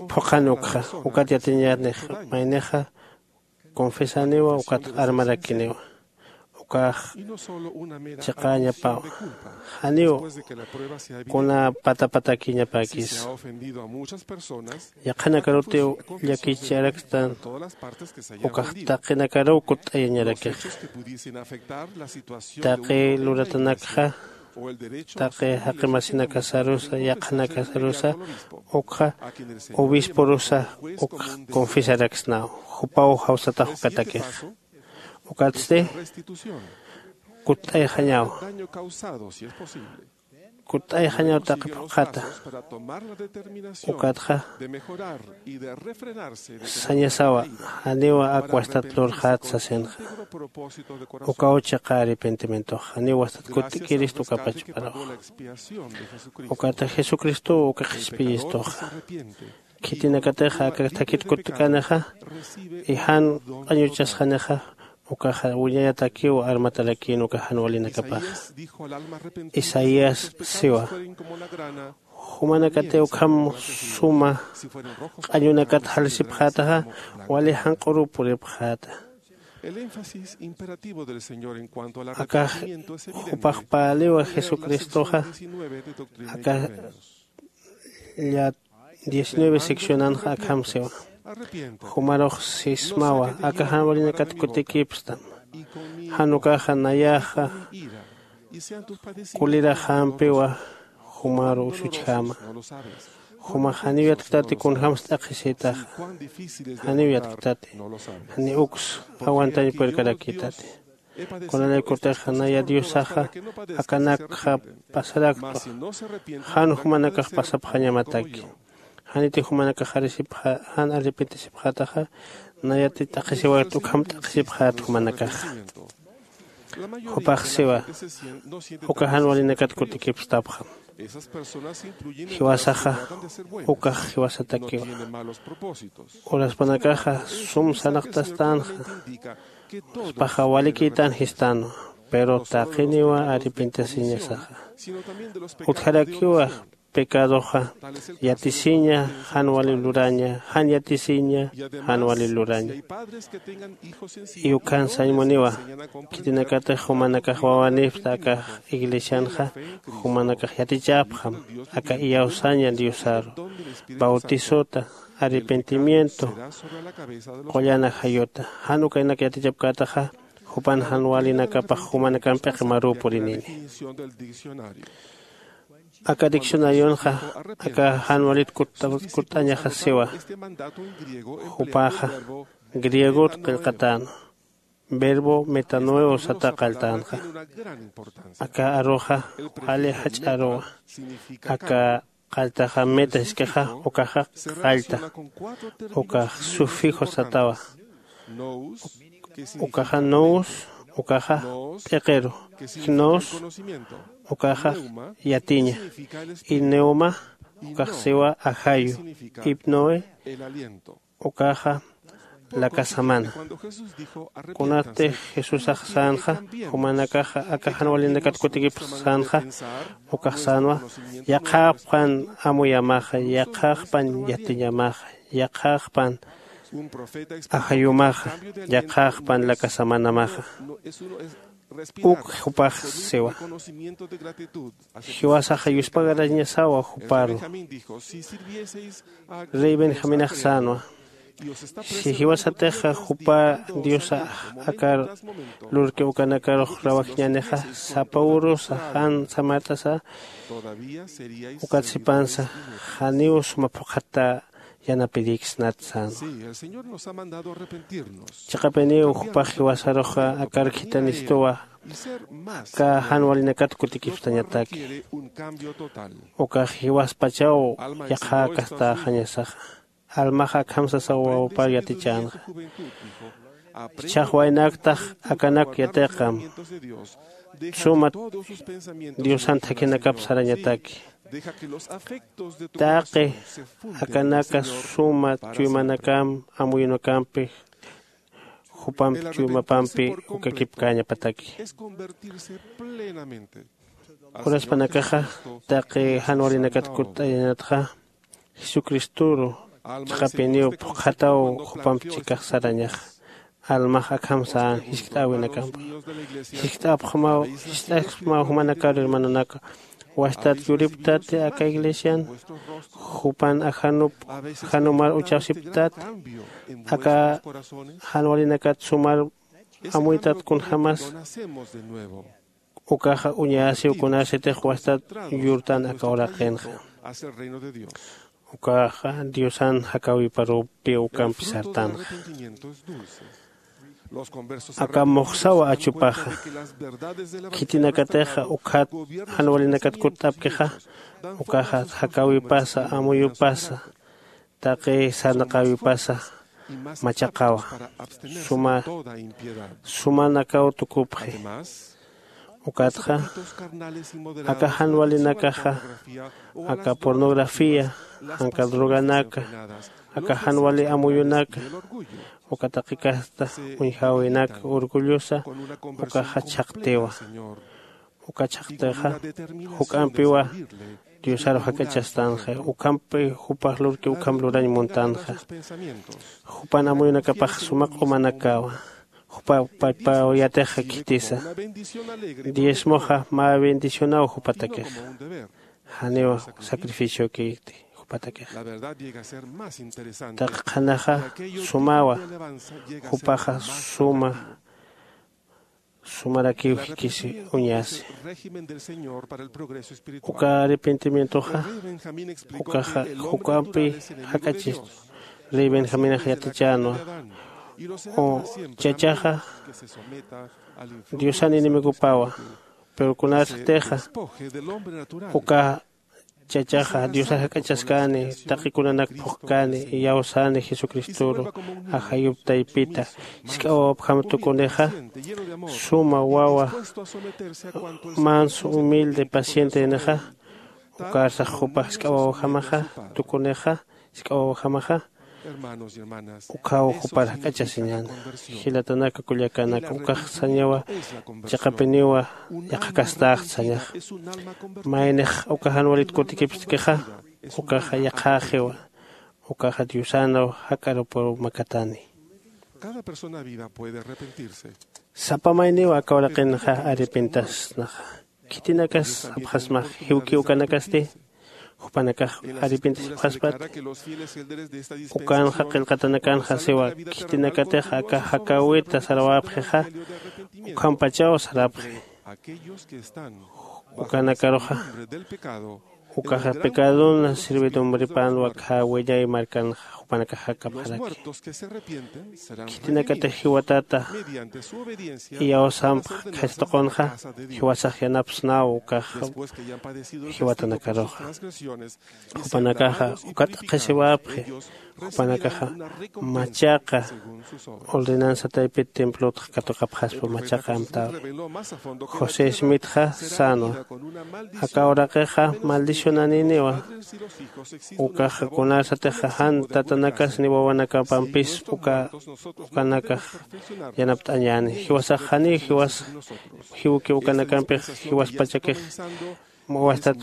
phuqhan ukxa. Ukat yatiñänix maynixa confesaniwa ukatxa armarakiniwa. Ukax chiqäñapawa. Janiw kuna patapatakiñapäkisa. Yaqhanakarutiw llakicharakstan ukax taqinakaruw kutt'ayañarakixa. Taqi luratanakxa taqi jaqimasinakasarusa yaqhanakasarusa ukxa obisporusa uk confesaraksnaw. Jupaw jawsatax ukatakixa. Ukatsti kutt'ayxañaw. Kutt'ayxañaw taqi phuqhata. Ukatxa sañasawa janiwa ak wastat lurxät sasinxa. Ukaw chiqa arrepentimientoxa janiw wastat kutt'ikirist uka pachparuxa. Ukata jesucristow uka qhispiyistuxa khitinakatixa aka thakit kutkanixa y jan q'añuchasxanixa ukaxa wiñayatakiw armatarakïn uka jan walinakapaxa. Isaías siwa, jumanakatiw ukham suma q'añunakat jalisipxätaxa wali janq'uruw puripxäta. Akax jupax päliwa jesucristoxa aka lla diecinueve seccionanxa akham siwa. Jumarux sismawa aka jan walinakat kutikipstam. Jan ukaxa nayaxa kuliraxampiwa. Jumaru usuchjäma. Jumax janiw yatktati kunjämsa t'aqhisïtaxa. Janiw yatktati. Janiw uks aguantañ purkarakïtati. Kunalaykutixa naya diosaxa akanakxa pasaraktwa. Jan jumanakax pasapxañamataki. Janiti jumanakax arisipxä jan arrepentisipxätaxa nayati t'aqhisiwayt ukham t'aqhisipxät jumanakaxa. Jupax siwa uka jan walinakat kutikipstapxam. Jiwasaxa ukax jiwasatakiwa. Uraspanakaxa sum sarnaqtastänxa, jupaxa walikïtän jistänwa. Pero taqiniwa arrepentisiñasaxa. Utjarakiwa pecadoxa yatisiña, jan wali luraña, jan yatisiña, jan wali luraña. Y ukhan sañ muniwa, khitinakatix jumanakax wawanïpxta aka iglesianxa, jumanakax yatichäpxam aka iyawsaña diosaru, bautisota, arrepentimiento, qullan ajayuta. Jan ukanak yatichapkätaxa jupan jan walinakapax jumanakamp p'iqi marüw purinini. Aka diccionarionxa aka jan walit kutt'añaxa siwa, jupaxa griegot qillqatänwa, verbo metanoeo sata qalltänxa. Aka aruxa wali jach'a aruwa. Aka qalltaxa meta jiskixa, ukaxa qallta, ukax sufijo satawa. Ukaxa nous, ukaxa p'iqiru, gnos, ukaxa yatiña, y neuma, ukax siwa ajayu, hipnoe, ukaxa lakasamana. Kunatix jesusax sänxa, jumanakaxa aka jan walinakat kutikipx sänxa, ukax sänwa, yaqhaqpan amuyamaxa, yaqhaqpan yatiñamaxa, yaqhaqpan ajayumaxa, yaqhaqpan lakasamanamaxa. Uk jupax siwa, jiwasaxa yuspagarañasawa juparu. Rey benjaminax sänwa, si jiwasatixa jupa diosa akar lurki ukanakarux rawajiñänixa, sapa urusa jan samart'asa ukat sipansa, janiw suma phuqhata yanapirïksnat sänwa. Chiqapiniw jupax jiwasaruxa akar khithanistuwa, aka jan walinakat kutikipstañataki. Ukax jiwaspachaw yaqhäkastäxañasaxa. Almaxa akham sasaw wawapar yatichänxa. Jichhax waynaktax akanak yatiqam, suma diosan thakhinakap sarañataki. Taqi akanaka suma chuymanakamp amuyunakampi jupamp chuymapampi ukakipkäñapataki. Uraspanakaxa taqi jan walinakat kutt'ayañatxa, jesucristoru chiqapiniw phuqhataw jupamp chikax sarañaxa. Almax akham sän jiskt'äwinakampa. Jiskt'apxmaw jiskt'apxmaw jumanakar hermanonaka, wastat yuripktati aka iglesian, jupan ajanup ajanumar uchasipktati, aka jan walinakat sumar amuytat kunjämas. Ukaxa uñasiw kunasitix wastat yurtan aka uraqinxa. Ukaxa diosan jakawiparupi ukampi sartanxa. Aka muxsawa achupaxa, khitinakatixa ukhat jan walinakat kutt'apkixa, ukaxa jakawipasa, amuyupasa, taqi sarnaqäwipasa machaqawa, suma sumanakaw tukupxi. Ukatxa aka jan walinakaxa, aka pornografía, janka droganaka, aka jan wali amuyunaka, uka taqi kasta uñjäwinaka, orgullosa, ukaxa chhaqtiwa. Uka chhaqtixa juk'ampiwa diosaru jak'achastanxa, ukhampi jupax lurki ukham lurañ muntanxa. Jupan amuyunakapax suma q'umanakawa, jupa paypaw yatixa khitisa. Diezmoxa mä bendicionaw jupatakixa, janiw sacrificiokiti jupatakixa. Taqi qhanaxa sumawa, jupaxa suma sumarakiw jikisi uñasi. Uka arrepentimientoxa ukaxa juk'ampi jak'achistu. Rey benjaminax yatichänwa, u chachaxa diosan enemigopawa. Pero kunasatixa uka chachaxa diosa jak'achaskäni, taqi kunanak phuqkäni, iyawsäni jesucristoru ajayup taypita jisk'a wawapjam tukunixa, suma wawa manso, humilde, pacientenixa, Ukarsax jupax jisk'a wawajamaxa, tukunixa jisk'a wawajamaxa, ukhaw jupar jak'achasiñäna. Jilatanaka kullakanaka, ukax sañawa chiqapiniwa yaqhakastaxta sañaxa. Maynix uka jan walit kutikipxtkixa, ukaxa yaqhäxiwa, ukaxa Diosanaw jak'arupaw makatani. Sapa mayniw aka uraqinxa arrepintasnaxa. Khitinakas sapxasmax, jiwki ukanakasti jupanakax arrepintasipxaspat. Ukanxa qillqatanakanxa siwa, khitinakatix aka jakäwita sarawäpxixa, ukhampachaw sarapxi. Ukanakaruxa ukaxa pecadon sirvidumbripänwa khä wiñay markanxa jupanakax jakapxaraki. Khitinakatix jiwatata iyawsampx khaysa tuqunxa, jiwasax yanapsnaw ukax jiwatanakaruxa. Jupanakaxa uka t'aqhisiwapxi, jupanakaxa machaqa ordenanza taypit templotxa katuqapxaspa machaqa amtawi. José Smithxa sänwa, aka uraqixa maldicionaniniwa. Ukaxa kunarsatixa jan tatanakas ni wawanakapampis uka ukanakax yanapt'añäni. Jiwasax janiw jiwas jiwki ukanakampix jiwaspachakix wastat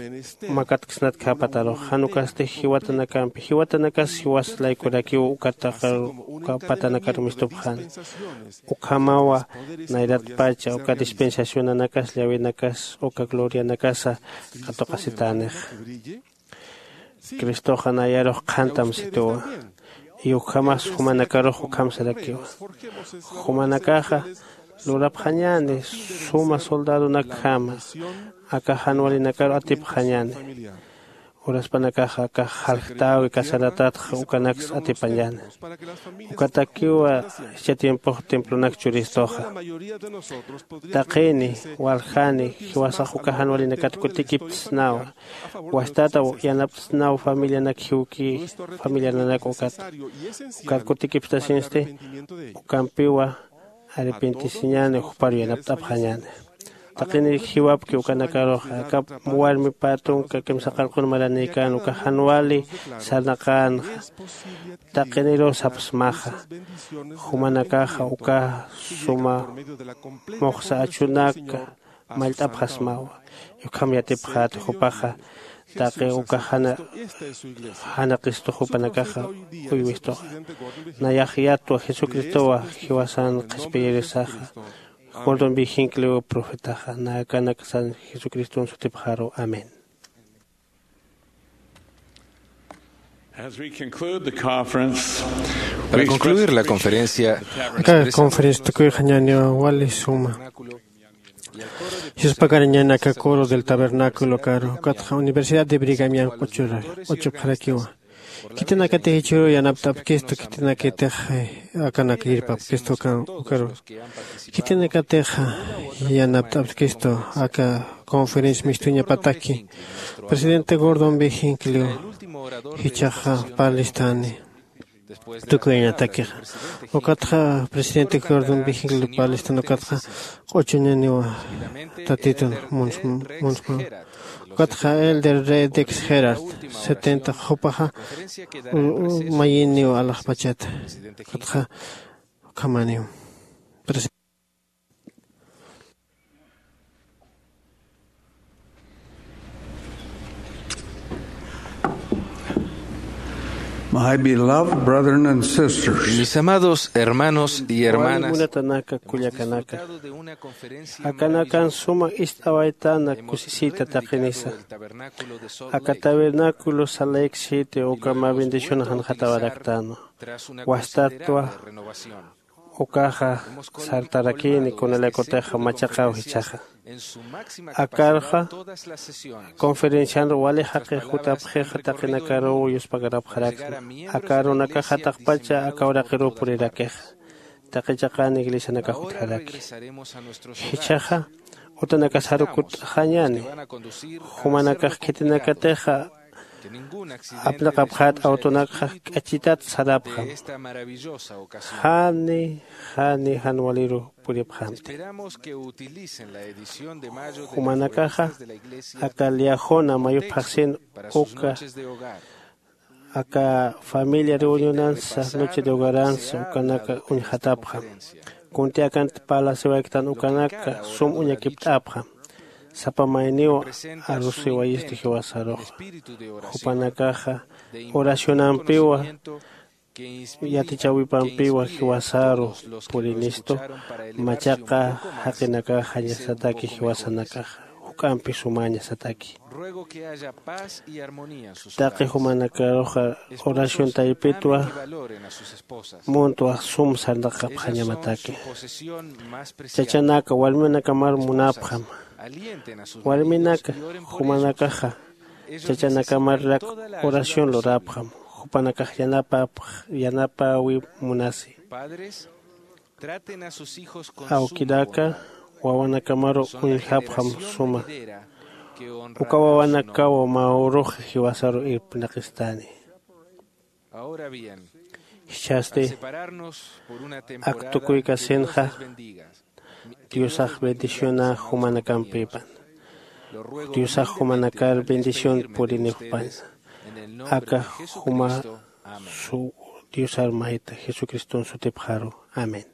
makatksnatkhäpatarux, jan ukasti jiwatanakampi, jiwatanakas jiwas laykurakiw uka taqir uka patanakar mistupxäni. Ukhamawa nayratpacha uka dispensacionanakas llawinakas uka glorianakasa katuqasitänix. Cristoxa nayarux qhantam situwa. Y ukhamas jumanakarux ukham sarakiwa. Jumanakaxa lurapxañäni suma soldadonakjama, aka jan walinakaru atipxañäni. Uraspanakaxa aka jaljtäwi casaratatxa ukanaksa atipañäni. Ukatakiwa jichha tiempox templonak churistuxa. Taqini, waljani, jiwasax uka jan walinakat kutikiptsnawa. Wastata yanaptsnaw familianak jiwki familiananak ukat. Ukat kutikipstasinsti, ukampiwa arrepentisiñäni, jupar yanapt'apxañäni. Taqini jiwapki ukanakaruxa, aka warmi pä tunka kimsa qarqun maranïkän uka jan wali sarnaqänxa. Taqiniruw sapsmaxa, jumanakaxa uka suma muxsa achunaka mallt'apxasmawa. Ukham yatipxäta jupaxa taqi uka jana jana qistux jupanakaxa uywistuxa. Nayax yatwa Jesucristowa jiwasan qhispiyirisaxa. Gordon B. Hinckley profetaxa, nakanaksan Jesucriston sutipxaru. Amén. As we conclude the conference, Para we concluir la express conferencia, aka conferencia tukuyxañäniwa wali suma. Yuspakarañäni aka coro del tabernáculo karu, ukatxa Universidad de Brigham Young q'uchura q'uchupxarakiwa. Khitinakatix jichhüru yanapt'apkistu, khitinakatix akanak yirpapkistu ukaru. Khitinakatix yanapt'apkistu aka conferencia mistuñapataki. Presidente Gordon B. Hinckley jichhaxa parlistani tukuyañatakixa. Ukatxa presidente Gordon B. Hinckley parlistan ukatxa q'uchuñaniwa tatitun munsma. Ukatxa elder Ray Dix Gerard setenta jupaxa mayiniw alaxpachata. Ukatxa ukhamaniw. My beloved brethren and sisters, mis amados hermanos y hermanas, munatanaka kullakanaka, akanakan suma ist'awaytana kusisita taqinisa. Aka tabernáculo Salt Lake City uka mä bendición janjatawaraktana. Wastatwa ukaxa sartarakini kunalaykutixa machaqaw jichhaxa. Akarxa conferencianru wali jaqix jutapxixa taqinakaruw yuspagarapxaraksna. Aka arunakaxa taqpacha aka uraqiruw purirakixa. Taqi chiqan iglesianakax jutjaraki. Jichhaxa utanakasaru kutt'axañäni. Jumanakax khitinakatixa apnaqapxät awtonakxa k'achitat sarapxam. Jani Jani jan waliru puripxamti. Jumanakaxa aka liajuna mayupxaxsin uka aka familia reunionansa, noche de hogaransa ukanaka uñjatapxam. Kunti akanti parlasiwaykitan ukanaka sum uñakipt'apxam. Sapa mayniw arusiwayisti jiwasaruxa. Jupanakaxa oracionampiwa yatichawipampiwa jiwasaru purinistu. Machaqa jaqinakaxañasataki jiwasanakaxa juk'ampi sumañasataki. Taqi jumanakaruxa oración taypitwa muntwa sum sarnaqapxañamataki. Chachanaka warminakamar munapxam. Warminaka jumanakaxa chachanakamarak oración lurapxam. Jupanakax yanapapx yanapawi munasi. Awkinaka wawanakamaru uñjapxam suma. Uka wawanakaw mä uruxa jiwasaru irpnaqistani. Jichhasti ak tukuykasinxa diosax bendiciona jumanakampipan. Diosax jumanakar bendición purinixpaña. Aka juma su diosar mayta jesucriston sutipxaru. Amén.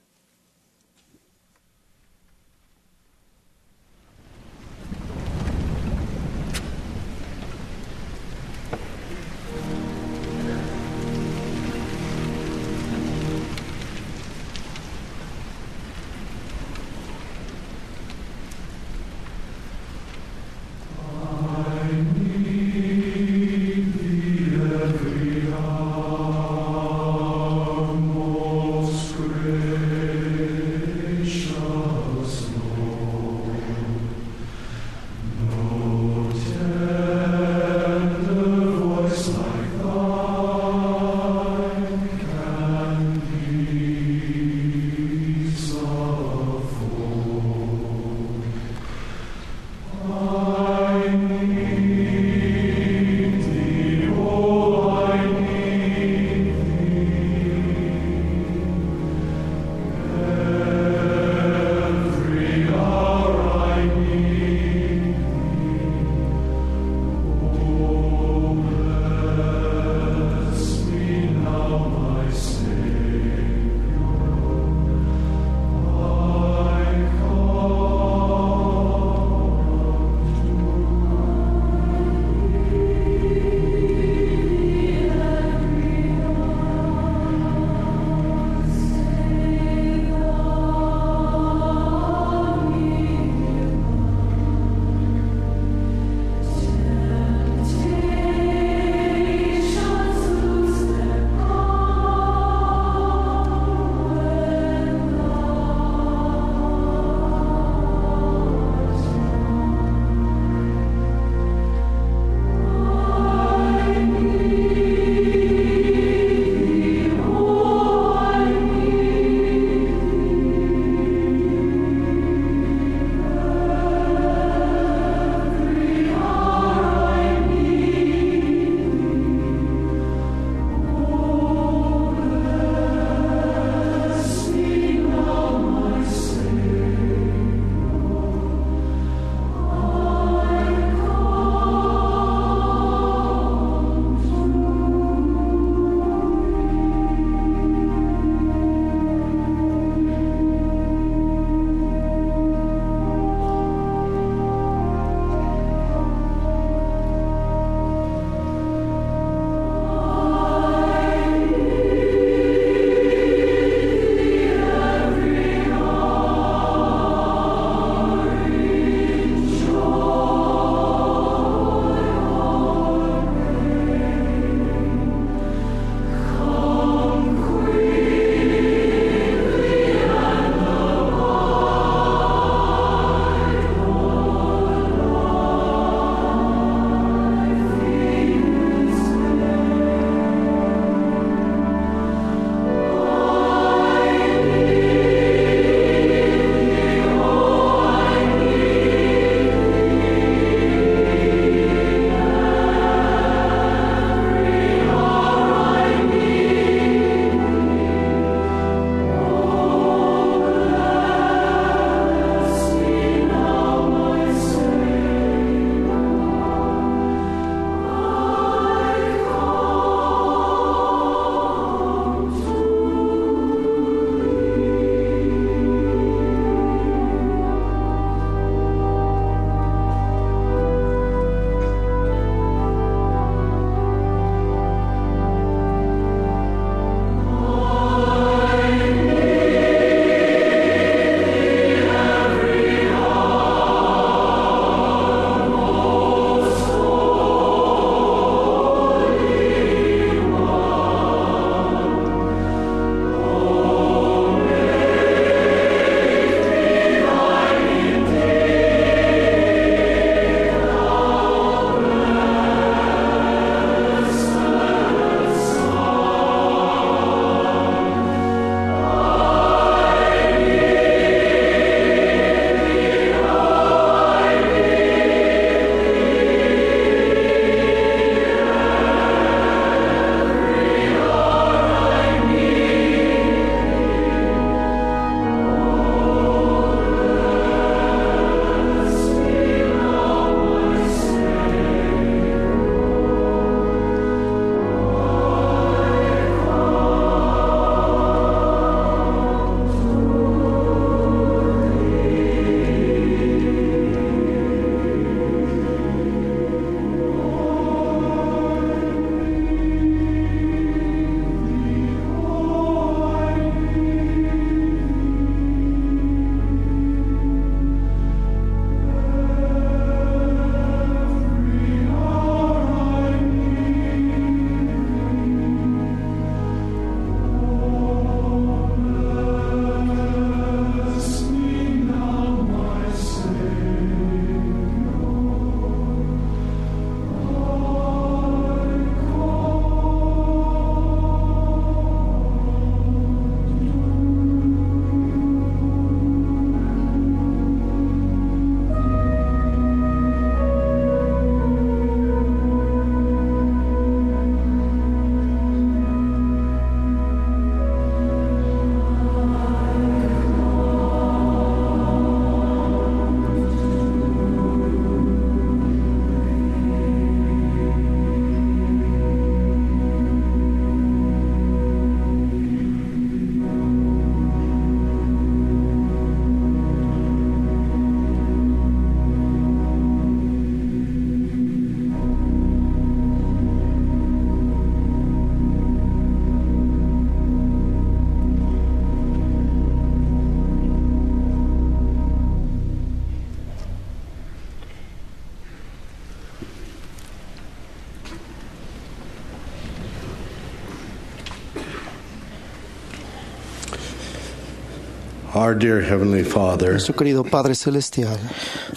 Our dear Heavenly Father, Nuestro querido Padre Celestial,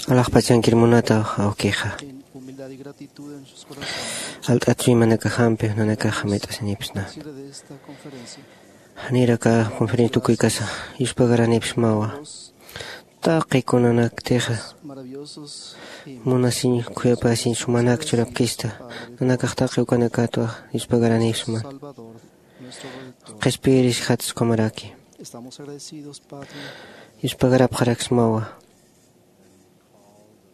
alaxpachankir munata awkixa, en humildad y gratitud en sus corazones, alt'at suymanakajampi nanakaxa mayt'asinipsna. Sirve de esta conferencia. Janiraka conferencia tukuykasa yuspagaranipsmawa. Taqi kunanaktixa maravillosos y munasiñ khuyapasiñ sumanak churapkista, nanakax taqi ukanakatwa yuspagaranipsma. Salvador, nuestro Redentor. Qhispiyiris jatsa ukhamaraki. Estamos agradecidos, Padre, yuspagarapxaraksmawa,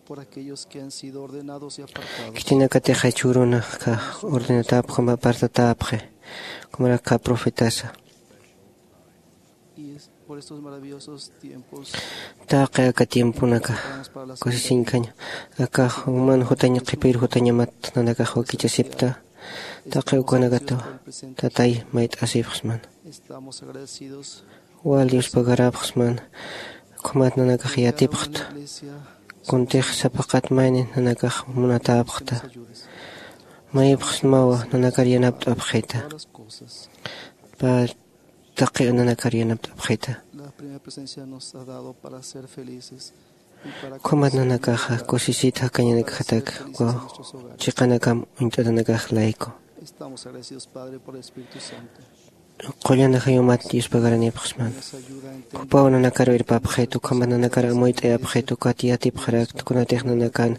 por aquellos que han sido ordenados y apartados. Khitinakatixa jichhürunaka ordenatapxi, apartatapxi, ukhamaraki profetasa. Y es por estos maravillosos tiempos, taqi aka tiemponaka, oramos para las kusisiñkhaña, aka juman jutañ qhipir jutañamat nanakax wakichasipta. Taqi ukanakatwa, Tatay, mayt'asipxsman. Estamos agradecidos. Wal yuspagarapxsman. Ukhamat nanakax yatipxta. Kuntix sapaqat mayni nanakax munatäpxta. Mayipxsmawa nanakar yanapt'apxita. Padre, taqi nanakar yanapt'apxita. La primera presencia nos ha dado para ser felices. Ukhamat nanakaxa kusisit jakañanakjatak, uka chiqanakam uñt'atanakax layku. Estamos agradecidos, Padre, por el Espíritu Santo. Qullana jayumat yuspagaranipxsman. Jupaw nanakar irpapxit, ukhamat nanakar amuyt'ayapxit, ukat yatipxarakta, kunatix nanakan,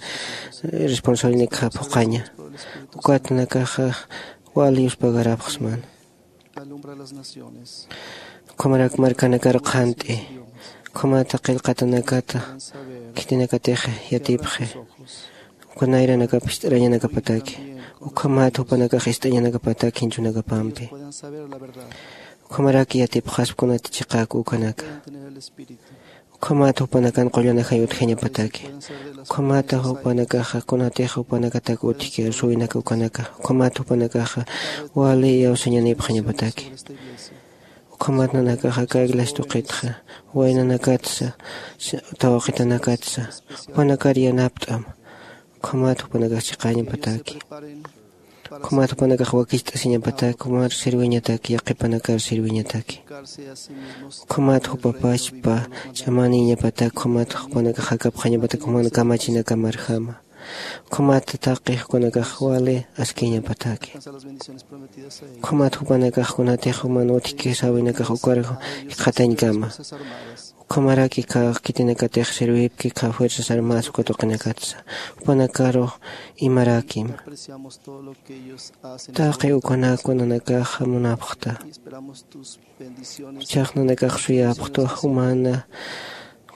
eh, responsabilidad phuqaña. Ukat nanakaxa wal yuspagarapxsman. Alumbra las naciones. Ukhamarak markanakar qhant'i. Ukhamata qillqatanakata khitinakatix yatipxi. Uka nayranakap ist'arañanakapataki. Ukhamata jupanakax ist'añanakapataki jichhunakapampi. Puedan saber la verdad. Ukhamarak yatipxaspa kunati chiqak ukanaka. Puedan tener el Espíritu. Ukhamata jupanakan qullana jay utjañapataki. Ukhamata jupanakaxa kunatix jupanakatak utjki arsuwinaka ukanaka. Ukhamata jupanakaxa wali iyawsañanipxañapataki. Ukhamat nanakaxa aka iglesia tuqitxa, waynanakatsa, si-, tawaqitanakatsa, jupanakar yanapt'am. Ukhamat jupanakax chiqañapataki. Ukhamat jupanakax wakicht'asiñapataki, jumar sirwiñataki, yaqhipanakar sirwiñataki. Ukhamat jupapachpa ch'amaniñapataki, ukhamat jupanakax jakapxañapataki, juman kamachinakamar jama. Ukhamat taqi jupanakax wali askiñapataki. Ukhamat jupanakax kunatix juman utjki sawinakax ukar jikxatañkama. Ukhamaraki kha khitinakatix sirwipki kha Fuerzas Armadas uka tuqinakatsa. Jupanakaru imarakim. Taqi ukanakwa nanakaxa munapxta. Jichhax nanakax suyapxta jumana,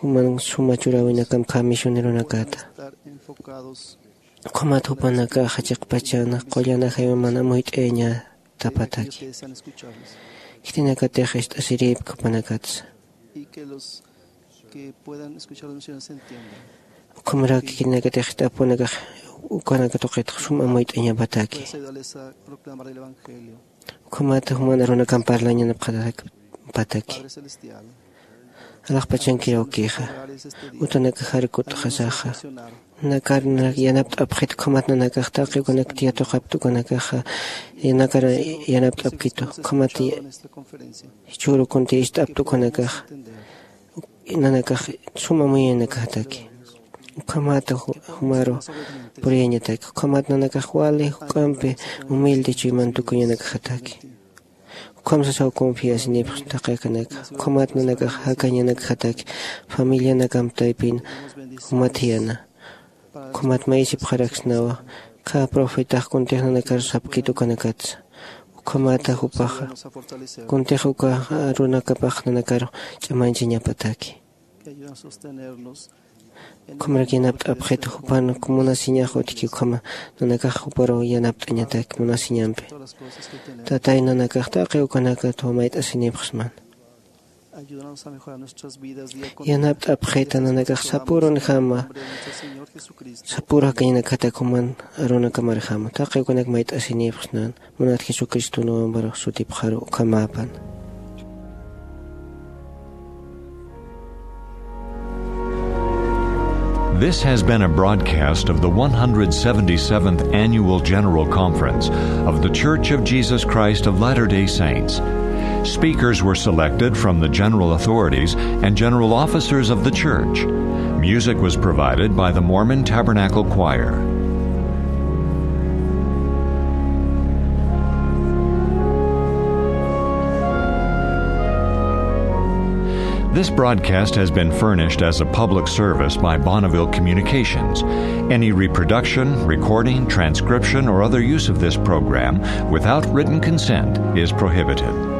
juman suma churäwinakam kha misioneronakata. Ukhamat jupanakaxa chiqpachana qullana jayuman amuyt'ayañatapataki. Khitinakatix ist'asiripki jupanakatsa. Ukhamaraki khitinakatix ist'apxi jupanakax ukanaka tuqitxa sum amuyt'añapataki. Ukhamata juman arunakan parlañanapxatakpataki. Alaxpachankir awkixa. Utanakaxar kut'xasaxa. Nanakar yanapt'apxit ukhamat nanakax taqi ukanak tiyatuqapta ukanakaxa. Nanakar yanapt'apkitu. Ukhamat jichhüru kunti ist'apta ukanakaxa. Nanakax suma muyañanakjataki. Ukhamata ju-, jumaru puriyañataki. Ukhamat nanakax wali juk'ampi humilde chuyman tukuñanakjataki. Ukham sasaw confiasinipxsna taqi akanaka. Ukhamat nanakax jakañanakjataki. Familianakam taypin jumat jiyana. Ukhamat mayisipxaraksnawa. Kha profetax kuntix nanakar sapkit ukanakatsa. Ukhamata jupaxa. Kuntix uka arunakapax nanakar ch'amañchañapataki. Ukhamarak yanapt'apxit jupan munasiñax utjki ukhama nanakax juparu yanapt'añatak munasiñampi. Tatay nanakax taqi ukanakatwa mayt'asinipxsman. Yanapt'apxita nanakax sapürunjama, sapüru jakañanakjatak juman arunakamarjama. Taqi ukanak mayt'asinipxsnan. Munat Jesucristo nombre sutipxaru ukhamapan. This has been a broadcast of the one hundred seventy-seventh Annual General Conference of The Church of Jesus Christ of Latter-day Saints. Speakers were selected from the general authorities and general officers of the church. Music was provided by the Mormon Tabernacle Choir. This broadcast has been furnished as a public service by Bonneville Communications. Any reproduction, recording, transcription, or other use of this program without written consent is prohibited.